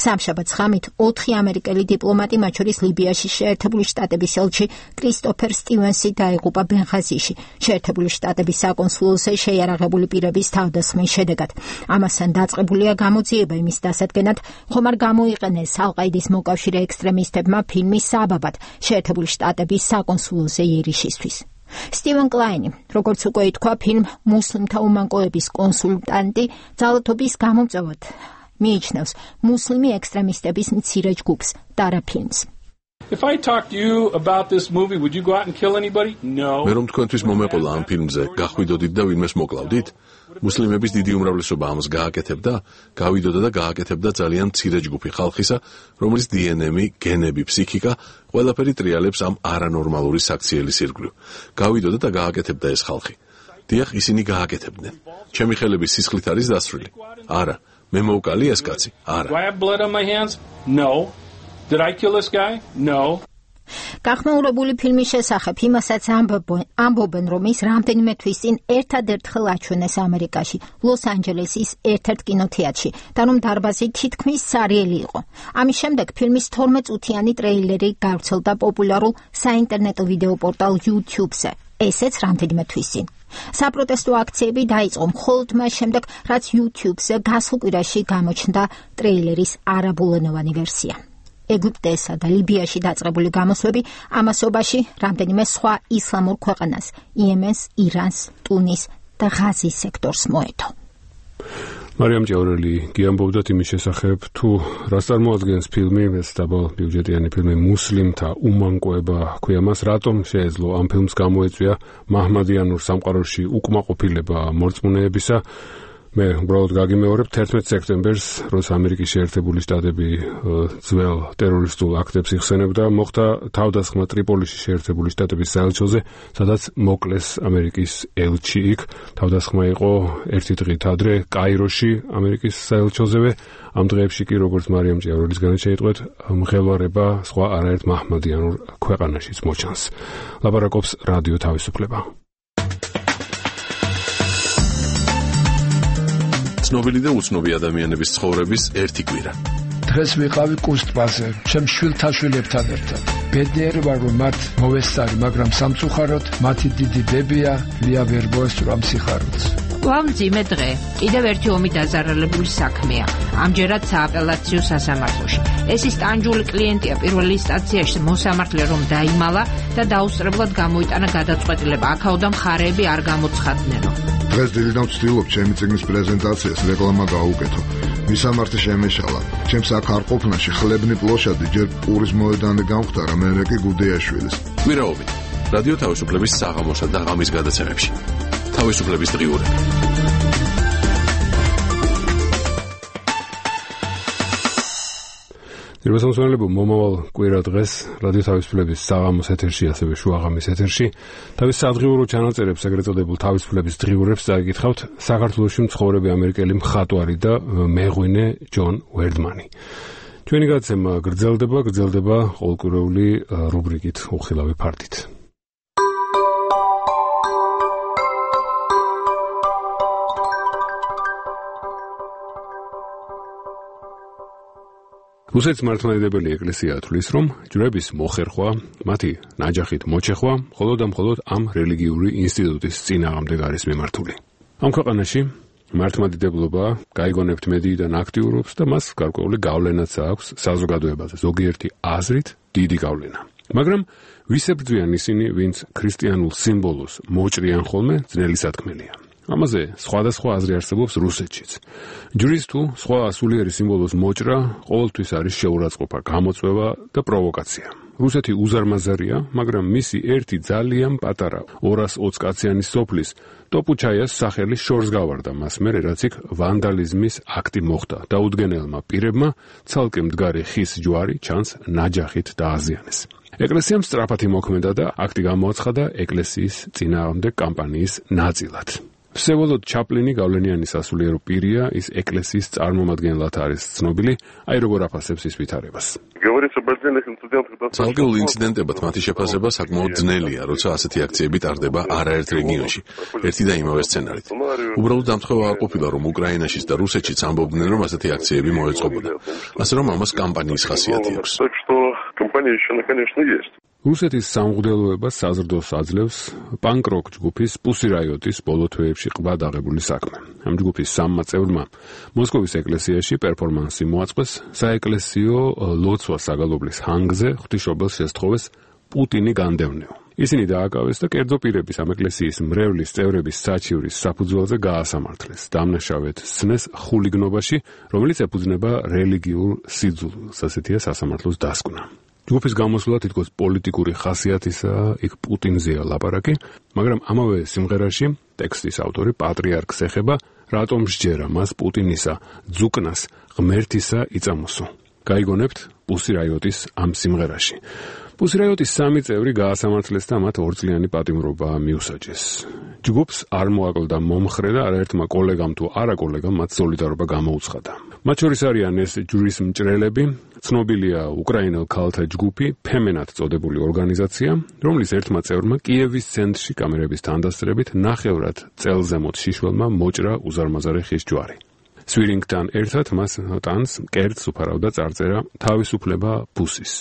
სამშაბათს ღამით 4 ამერიკელი დიპლომატი, მათ შორის ლიბიაში შეერთებული შტატების ელჩი კრისტოფერ სტივენსი დაიღუპა ბენღაზიში, შეერთებული შტატების საკონსულოზე შეიარაღებული პირების თავდასხმის შედეგად. ამასთან დაწყებულია გამოძიება იმის დასადგენად, ხომ არ გამოიყენეს ალ-ყაიდის მოკავშირე ექსტრემისტებმა ფილმის საბაბად შეერთებული შტატების საკონსულოზე იერიშისთვის. სტივენ კლაინი, როგორც უკვე ითქვა, ფილმ მუსლიმთა უმანკოების კონსულტანტი ძალადობის გამომწვევად მიიჩნევს მუსლიმი ექსტრემისტების მცირე ჯგუფს, დარა ფილმს. If I talk to you about this movie, would you go out and kill anybody? No. მე რომ თქვენთვის მომეყოლა ამ ფილმზე, გახვიდოდით და ვინმეს მოკლავდით? მუსლიმების დიდი უმრავლესობა ამას გააკეთებდა, გავიდოდა და გააკეთებდა ძალიან მცირე ჯგუფი ხალხისა, რომელიც დნმ, გენები, ფსიქიკა, ყველაფერი ტრიალებს ამ არანორმალური საქციელის ირგვლივ. გავიდოდა და გააკეთებდა ეს ხალხი. დიახ, ისინი გააკეთებდნენ. ჩემი ხელების სისხლით არის დასრული. არა, მე მოვკალი ეს კაცი. არა. Do I have blood on my hands? No. Did I kill this guy? No. გახმაურებული ფილმის შესახებ იმასაც ამბობენ, რომ ის რამდენიმე თვის წინ ერთადერთხელ აჩვენეს ამერიკაში, ლოს-ანჯელესის ერთ-ერთ კინოთეატრში და რომ დარბაზი თითქმის სარიელი იყო. ამის შემდეგ ფილმის 12 წუთიანი ტრეილერი გავრცელდა პოპულარულ საინტერნეტო ვიდეო პორტალ YouTube-ზე, ესეც რამდენიმე თვის წინ. საპროტესტო აქციები დაიწყო მხოლოდ მას შემდეგ, რაც YouTube-ზე გასულ კვირაში გამოჩნდა ტრეილერის არაბულენოვანი ვერსია. ეგვიპტესა და ლიბიაში დაწყებული გამოსვლები ამასობაში რამდენიმე სხვა ისლამურ ქვეყანას, იემენს, ირანს, ტუნის და ღაზის სექტორს მოედო. მარიამ ჭიაურელი გიამბობდათ იმის შესახებ, თუ რას წარმოადგენს ფილმი, ეს დაბალბიუჯეტიანი ფილმი მუსლიმთა უმანკოება ჰქვია მას, რატომ შეეძლო ამ ფილმს გამოეწვია მაჰმადიანურ სამყაროში უკმაყოფილება მორწმუნეებისა. მე უბრალოდ გაგიმეორებ 11 სექტემბერს, როცა ამერიკის შეერთებული შტატები ძველ ტერორისტულ აქტებს იხსენებდა, მოხდა თავდასხმა ტრიპოლიში შეერთებული შტატების საელჩოზე, სადაც მოკლეს ამერიკის ელჩი იქ. თავდასხმა იყო ერთი დღით ადრე კაიროში, ამერიკის საელჩოზევე. ამ დღეებში კი, როგორც მარიამ ჭიაურელისგან შეიტყვეთ, მღელვარება სხვა არაერთ მაჰმადიანურ ქვეყანაშიც მოჩანს. ლაპარაკობს რადიო თავისუფლება. ცნობილი და უცნობი ადამიანების ცხოვრების ერთი კვირა. დღეს ვიყავი კუსტპაზე, ჩემ შვილთაშვილებთან ერთად. ბედნიერი ვარ, რომ მათ მოვესწარი, მაგრამ სამწუხაროდ მათი დიდი დებია ლია ვერ მოესწრო ამ სიხარულს. ვამძიმე დღე, კიდევ ერთი ომი დაზარალებული საქმეა. ამჯერად სააპელაციო სასამართლოში. ეს ის ტანჯული კლიენტია პირველი ინსტანციაში მოსამართლე რომ დაიმალა და დაუსწრებლად გამოიტანა გადაწყვეტილება. აქაოდა მხარეები არ გამოცხადნენო. დღეს დილიდან ვცდილობ ჩემი წიგნის პრეზენტაციას რეკლამა გაუკეთო. მისამართი შემეშალა. ჩემს აქ არ ყოფნაში ხლებნი პლოშადი ჯერ პურის მოედანი გამختარა, მერე კი გუდეაშვილის. კვირაობით რადიო თავისუფლების საღამოსა და ღამის გადაცემებში. თავისუფლების დღიურები. ძირვასამსვენებო მომავალ კვირა დღეს რადიო თავისუფლების საღამოს ეთერში, ასევე შუაღამის ეთერში თავის სადღიურო ჩანაწერებს, ეგრეთ წოდებულ თავისუფლების დღიურებს წაიკითხავთ საქართველოში მცხოვრები ამერიკელი მხატვარი და მეღვინე ჯონ ვერდმანი. ჩვენი გადაცემა გრძელდება ყოველკვირეული რუბრიკით უხილავი ფართით. რუსეთის მართლმადიდებელი ეკლესია ათვლის, რომ ჯვრების მოხერხვა, მათი ნაჯახით მოჩეხვა, მხოლოდ ამ რელიგიური ინსტიტუტის წინააღმდეგ არის მიმართული. ამ ქვეყანაში მართლმადიდებლობა გაიგონებთ მედიიდან აქტიურობს და მას გარკვეული გავლენაც აქვს საზოგადოებაზე, ზოგიერთი აზრით დიდი გავლენა. მაგრამ ვისებრძვიან ისინი, ვინც ქრისტიანულ სიმბოლოს მოჭრიან ხოლმე, ძნელი სათქმელია. ამაზე სხვადასხვა აზრი არსებობს რუსეთშიც. ჯვრის თუ სხვა სულიერი სიმბოლოს მოჭრა ყოველთვის არის შეურაცხყოფა, გამოწვევა და პროვოკაცია. რუსეთი უზარმაზარია, მაგრამ მისი ერთი ძალიან პატარა 220 კაციანი სოფლის ტოპუჩაიას სახელი შორს გავარდა მას მერე, რაც იქ ვანდალიზმის აქტი მოხდა და უდგენელმა პირებმა ცალკე მდგარი ხის ჯვარი ჩანს ნაჯახით დააზიანეს. ეკლესიამ სწრაფად იმოქმედა და აქტი გამოაცხადა ეკლესიის წინააღმდეგ კამპანიის ნაწილად. ვსევოლოდ ჩაპლინი გავლენიანი სასულიერო პირია, ის ეკლესიის წარმომადგენლად არის ცნობილი, აი როგორ აფასებს ის ვითარებას. ცალკეულ ინციდენტებად მათი შეფასება საკმაოდ ძნელია, როცა ასეთი აქციები ტარდება არაერთ რეგიონში, ერთი და იმავე სცენარით. უბრალოდ დამთხევა არ ყოფილა, რომ უკრაინაშიც და რუსეთშიც ამბობდნენ, რომ ასეთი აქციები მოეწყობოდა. ასე რომ ამას კამპანიის ხასიათი აქვს. რუსეთის სამღვდელოებას საზრდოს აძლევს პანკ-როკ ჯგუფის Pussy Riot-ის ბოლო თვეებში ყბად აღებული საქმე. ამ ჯგუფის სამმა წევრმა მოსკოვის ეკლესიაში პერფორმანსი მოაწყვეს საეკლესიო ლოცვა საგალობლის ჰანგზე ღვთისმშობელს შესთხოვეს პუტინი განდევნეო. ისინი დააკავეს და კერძო პირების ამ ეკლესიის მრევლის წევრების საჩივრის საფუძველზე გაასამართლეს. დამნაშავედ სცნეს ხულიგნობაში, რომელიც ეფუძნება რელიგიურ სიძულვილს, ასეთია სასამართლოს დასკვნა. ჯგუფის გამოსვლა თითქოს პოლიტიკური ხასიათისაა, იქ პუტინზეა ლაპარაკი, მაგრამ ამავე სიმღერაში ტექსტის ავტორი პატრიარქს ეხება, რატომ სჯერა მას პუტინისა ძუკნას ღმერთისა იწამოსო. გაიგონებთ Pussy Riot-ის ამ სიმღერაში. Pussy Riot-ის სამი წევრი გაასამართლეს და მათ ორწლიანი პატიმრობა მიუსაჯეს. ჯგუფს არ მოაკლდა მომხრე და არაერთმა კოლეგამ თუ არა კოლეგამ მათ სოლიდარობა გამოუცხადა. მათ შორის არიან ეს ჯვრის მჭრელები, ცნობილია უკრაინელ ქალთა ჯგუფი, ფემენად წოდებული ორგანიზაცია, რომლის ერთმა წევრმა კიევის ცენტრში კამერების თანდასწრებით ნახევრად წელზემოთ შიშველმა მოჭრა უზარმაზარი ხის ჯვარი. სვირინგთან ერთად მას ტანს კერძს უფარავდა წარწერა თავისუფლება პუსის.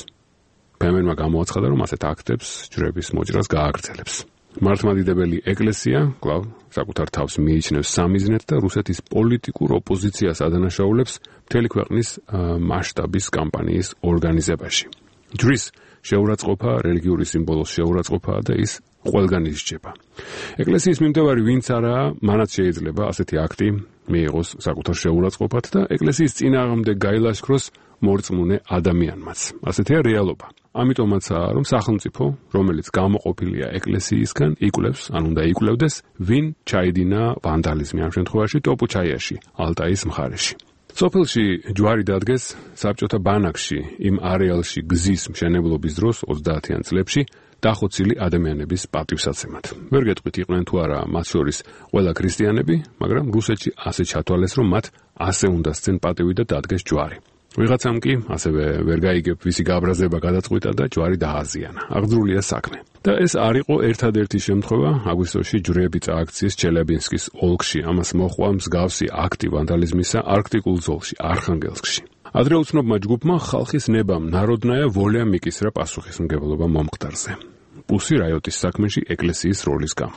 ფემენმა გამოაცხადა, რომ ასეთ აქტებს ჯვრების მოჭრას გააგრძელებს. მართლმადიდებელი ეკლესია კვლავ საკუთარ თავს მიიჩნევს სამიზნედ და რუსეთის პოლიტიკურ ოპოზიციას ადანაშაულებს მთელი ქვეყნის მასშტაბის კამპანიის ორგანიზებაში. ჯვრის შეურაცხყოფა, რელიგიური სიმბოლოს შეურაცხყოფაა და ის ყველგან ისჯება. ეკლესიის მიმდევარი ვინც არაა, მანაც შეიძლება ასეთი აქტი მიიღოს საკუთარ შეურაცხყოფად და ეკლესიის წინააღმდეგ გაილაშქროს მორწმუნე ადამიანმაც. ასეთია რეალობა. ამიტომაცაა, რომ სახელმწიფო, რომელიც გამოყოფილია ეკლესიისგან, იკვლევს, ან უნდა იკვლევდეს, ვინ ჩაიდინა ვანდალიზმი ამ შემთხვევაში ტოპუჩაიაში, ალტაის მხარეში. სოფელში ჯვარი დადგეს საბჭოთა ბანაკში, იმ არეალში გზის მშენებლობის დროს 30-იან წლებში დახოცილი ადამიანების პატივსაცემად. ვერ გეტყვით იყვნენ თუ არა მათ შორის ყველა ქრისტიანები, მაგრამ რუსეთში ასე ჩათვალეს, რომ მათ ასე უნდა სცენ პატივი და დადგეს ჯვარი. ვიღაცამ კი ასევე ვერ გაიგებ ვისი გაბრაზება გადაწყვიტა და ჯვარი დააზიანა. აღძრულია საქმე. და ეს არ იყო ერთადერთი შემთხვევა, აგვისტოში ჯვრები წააქციეს ჩელებინსკის ოლქში, ამას მოჰყვა მსგავსი აქტი ვანდალიზმისა არქტიკულ ზოლში, არხანგელსკში. ადრე უცნობმა ჯგუფმა ხალხის ნებამ ნაროდნაია ვოლია მიკისრა პასუხისმგებლობა მომხდარზე. Pussy Riot-ის საქმეში ეკლესიის როლის გამო.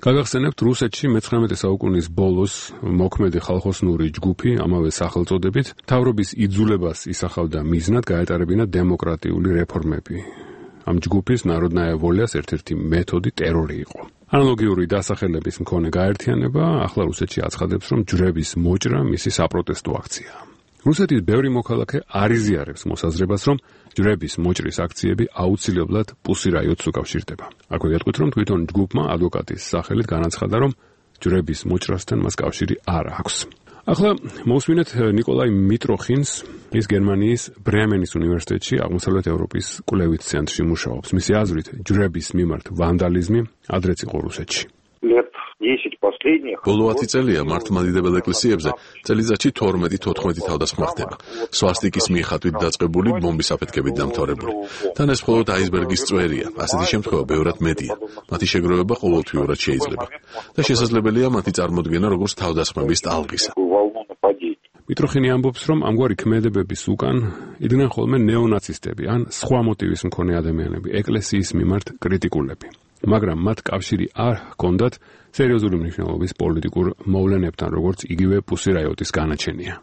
გაგახსენებთ, რუსეთში მე-19 საუკუნის ბოლოს მოქმედი ხალხოსნური ჯგუფი ამავე სახელწოდებით მთავრობის იძულებას ისახავდა მიზნად გაეტარებინა დემოკრატიული რეფორმები. ამ ჯგუფის ნაროდნაია ვოლიას ერთ-ერთი მეთოდი ტერორი იყო. ანალოგიური დასახელების მქონე გაერთიანება ახლა რუსეთში აცხადებს, რომ ჯვრების მოჭრა მისი საპროტესტო აქციაა. რუსეთის ბევრი მოქალაქე არ იზიარებს მოსაზრებას, რომ ჯვრების მოჭრის აქციები აუცილებლად Pussy Riot-ს უკავშირდება. აქვე გეტყვით, რომ თვითონ ჯგუფმა ადვოკატის სახელით განაცხადა, რომ ჯვრების მოჭრასთან მას კავშირი არ აქვს. ახლა მოვსმინეთ ნიკოლაი მიტროხინს, ის გერმანიის ბრემენის უნივერსიტეტში აღმოსავლეთ ევროპის კვლევით ცენტრში მუშაობს. მისი აზრით, ჯვრების მიმართ ვანდალიზმი ადრეც იყო რუსეთში. ბოლო 10 წელია მართლმადიდებელ ეკლესიებზე წელიწადში 12-14 თავდასხმა ხდება. სვასტიკის მიეხატვით დაწყებული, ბომბის აფეთქებით დამთავრებული. თან ეს მხოლოდ აისბერგის წვერია. ასეთი შემთხვევა ბევრად მეტია. მათი შეგროვება ყოველთვიურად შეიძლება და შესაძლებელია მათი წარმოდგენა როგორც თავდასხმების ტალღისა. მიტროხინი ამბობს, რომ ამგვარი ქმედებების უკან იდგნენ ხოლმე ნეონაცისტები ან სხვა მოტივის მქონე ადამიანები, ეკლესიის მიმართ კრიტიკულები. მაგრამ მათ კავშირი არ ჰქონდათ სერიოზული მნიშვნელობის პოლიტიკურ მოვლენებთან, როგორც იგივე Pussy Riot-ის განაჩენია.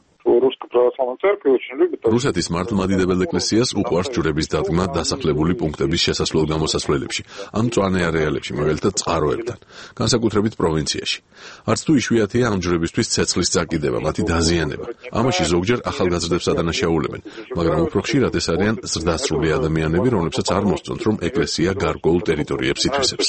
რუსეთის მართლმადიდებელ ეკლესიას უყვარს ჯვრების დადგმა დასახლებული პუნქტების შესასვლელ-გამოსასვლელებში, ამ მწვანე არეალებში, მაგალითად წყაროებთან, განსაკუთრებით პროვინციაში. არც თუ იშვიათია ამ ჯვრებისთვის ცეცხლის წაკიდება, მათი დაზიანება. ამაში ზოგჯერ ახალგაზრდებს ადანაშაულებენ, მაგრამ უფრო ხშირად ეს არიან ზრდასრული ადამიანები, რომლებსაც არ მოსწონთ, რომ ეკლესია გარკვეულ ტერიტორიებს ითვისებს.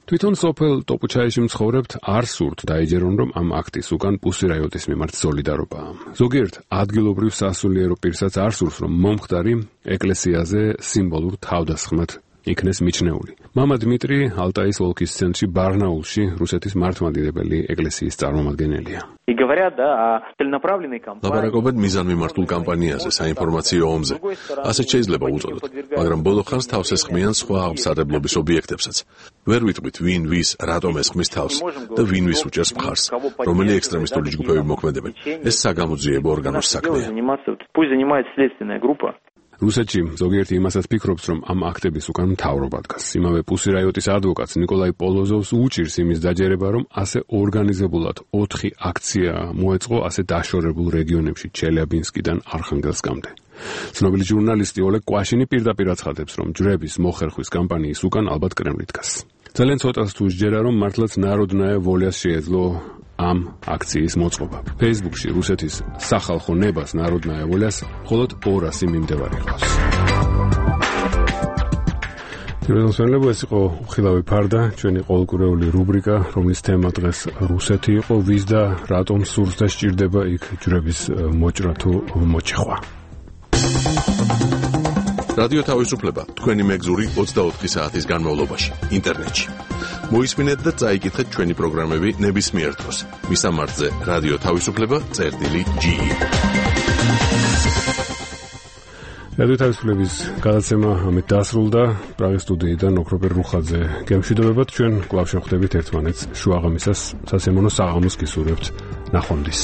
თვითონ სოფელ ტოპუჩაიში მცხოვრებთ არ სურთ დაიჯერონ, რომ ამ აქტის უკან Pussy Riot-ის მიმართ სოლიდარობაა. ზოგიერთ ადგილობრივ სასულიერო პირსაც არ სურს, რომ მომხდარი ეკლესიაზე სიმბოლურ თავდასხმად იქნეს მიჩნეული. მამა დმიტრი ალტაის ოლქის ცენტრში ბარნაულში რუსეთის მართლმადიდებელი ეკლესიის წარმომადგენელია. ლაპარაკობენ მიზანმიმართულ კამპანიაზე, საინფორმაციო ომზე. ასეთ შეიძლება უწოდოთ, მაგრამ ბოლო ხანს თავს ესხმიან სხვა აღმსარებლობის ობიექტებსაც. ვერ ვიტყვით ვინ ვის რატომ ესხმის თავს და ვინ ვის უჭერს მხარს, რომელი ექსტრემისტული ჯგუფები მოქმედებენ. ეს საგამოძიებო ორგანოს საქმეა. რუსეთში ზოგიერთი იმასაც ფიქრობს, რომ ამ აქტების უკან მთავრობა დგას. იმავე პუსირაიოტის ადვოკატს ნიკოლაი პოლოზოვს უჭირს იმის დაჯერება, რომ ასე ორგანიზებულად 4 აქცია მოეწყო ასე დაშორებულ რეგიონებში ჩელიაბინსკიდან არხანგელსკამდე. ცნობილი ჟურნალისტი ოლეგ კვაშინი პირდაპირ აცხადებს, რომ ჯვრების მოხერხვის კამპანიის უკან ალბათ კრემლი დგას. ძალიან ცოტას თუ შეჯერა, რომ მართლაც ნაროდნაია ვოლიას შეეძლო ამ აქციის მოწყობა. Facebook-ში რუსეთის სახალხო ნებას ნაროდნაია ვოლიას მხოლოდ 200 მიმდევარი ყავს. თემატიკა ეს იყო უხილავი ფარდა, ჩვენი ყოველკვირეული რუბრიკა, რომლის თემა დღეს რუსეთი იყო, ვის და რატომ სურს და სჭირდება იქ ჯვრების მოჭრა თუ მოჩეხვა. რადიო თავისუფლება თქვენი მეგზური 24 საათის განმავლობაში ინტერნეტში. მოისმინეთ და წაიკითხეთ ჩვენი პროგრამები ნებისმიერ დროს. მისამართზე რადიო თავისუფლება.ge. რადიო თავისუფლების გადაცემა ამით დასრულდა. პრაღის სტუდიიდან ოქროპერ რუხაძე გემშვიდობებად, ჩვენ კვლავ შევხვდებით ერთმანეთს შუაღამისას სასიამოვნო საღამოს გისურვებთ. ნახვამდის.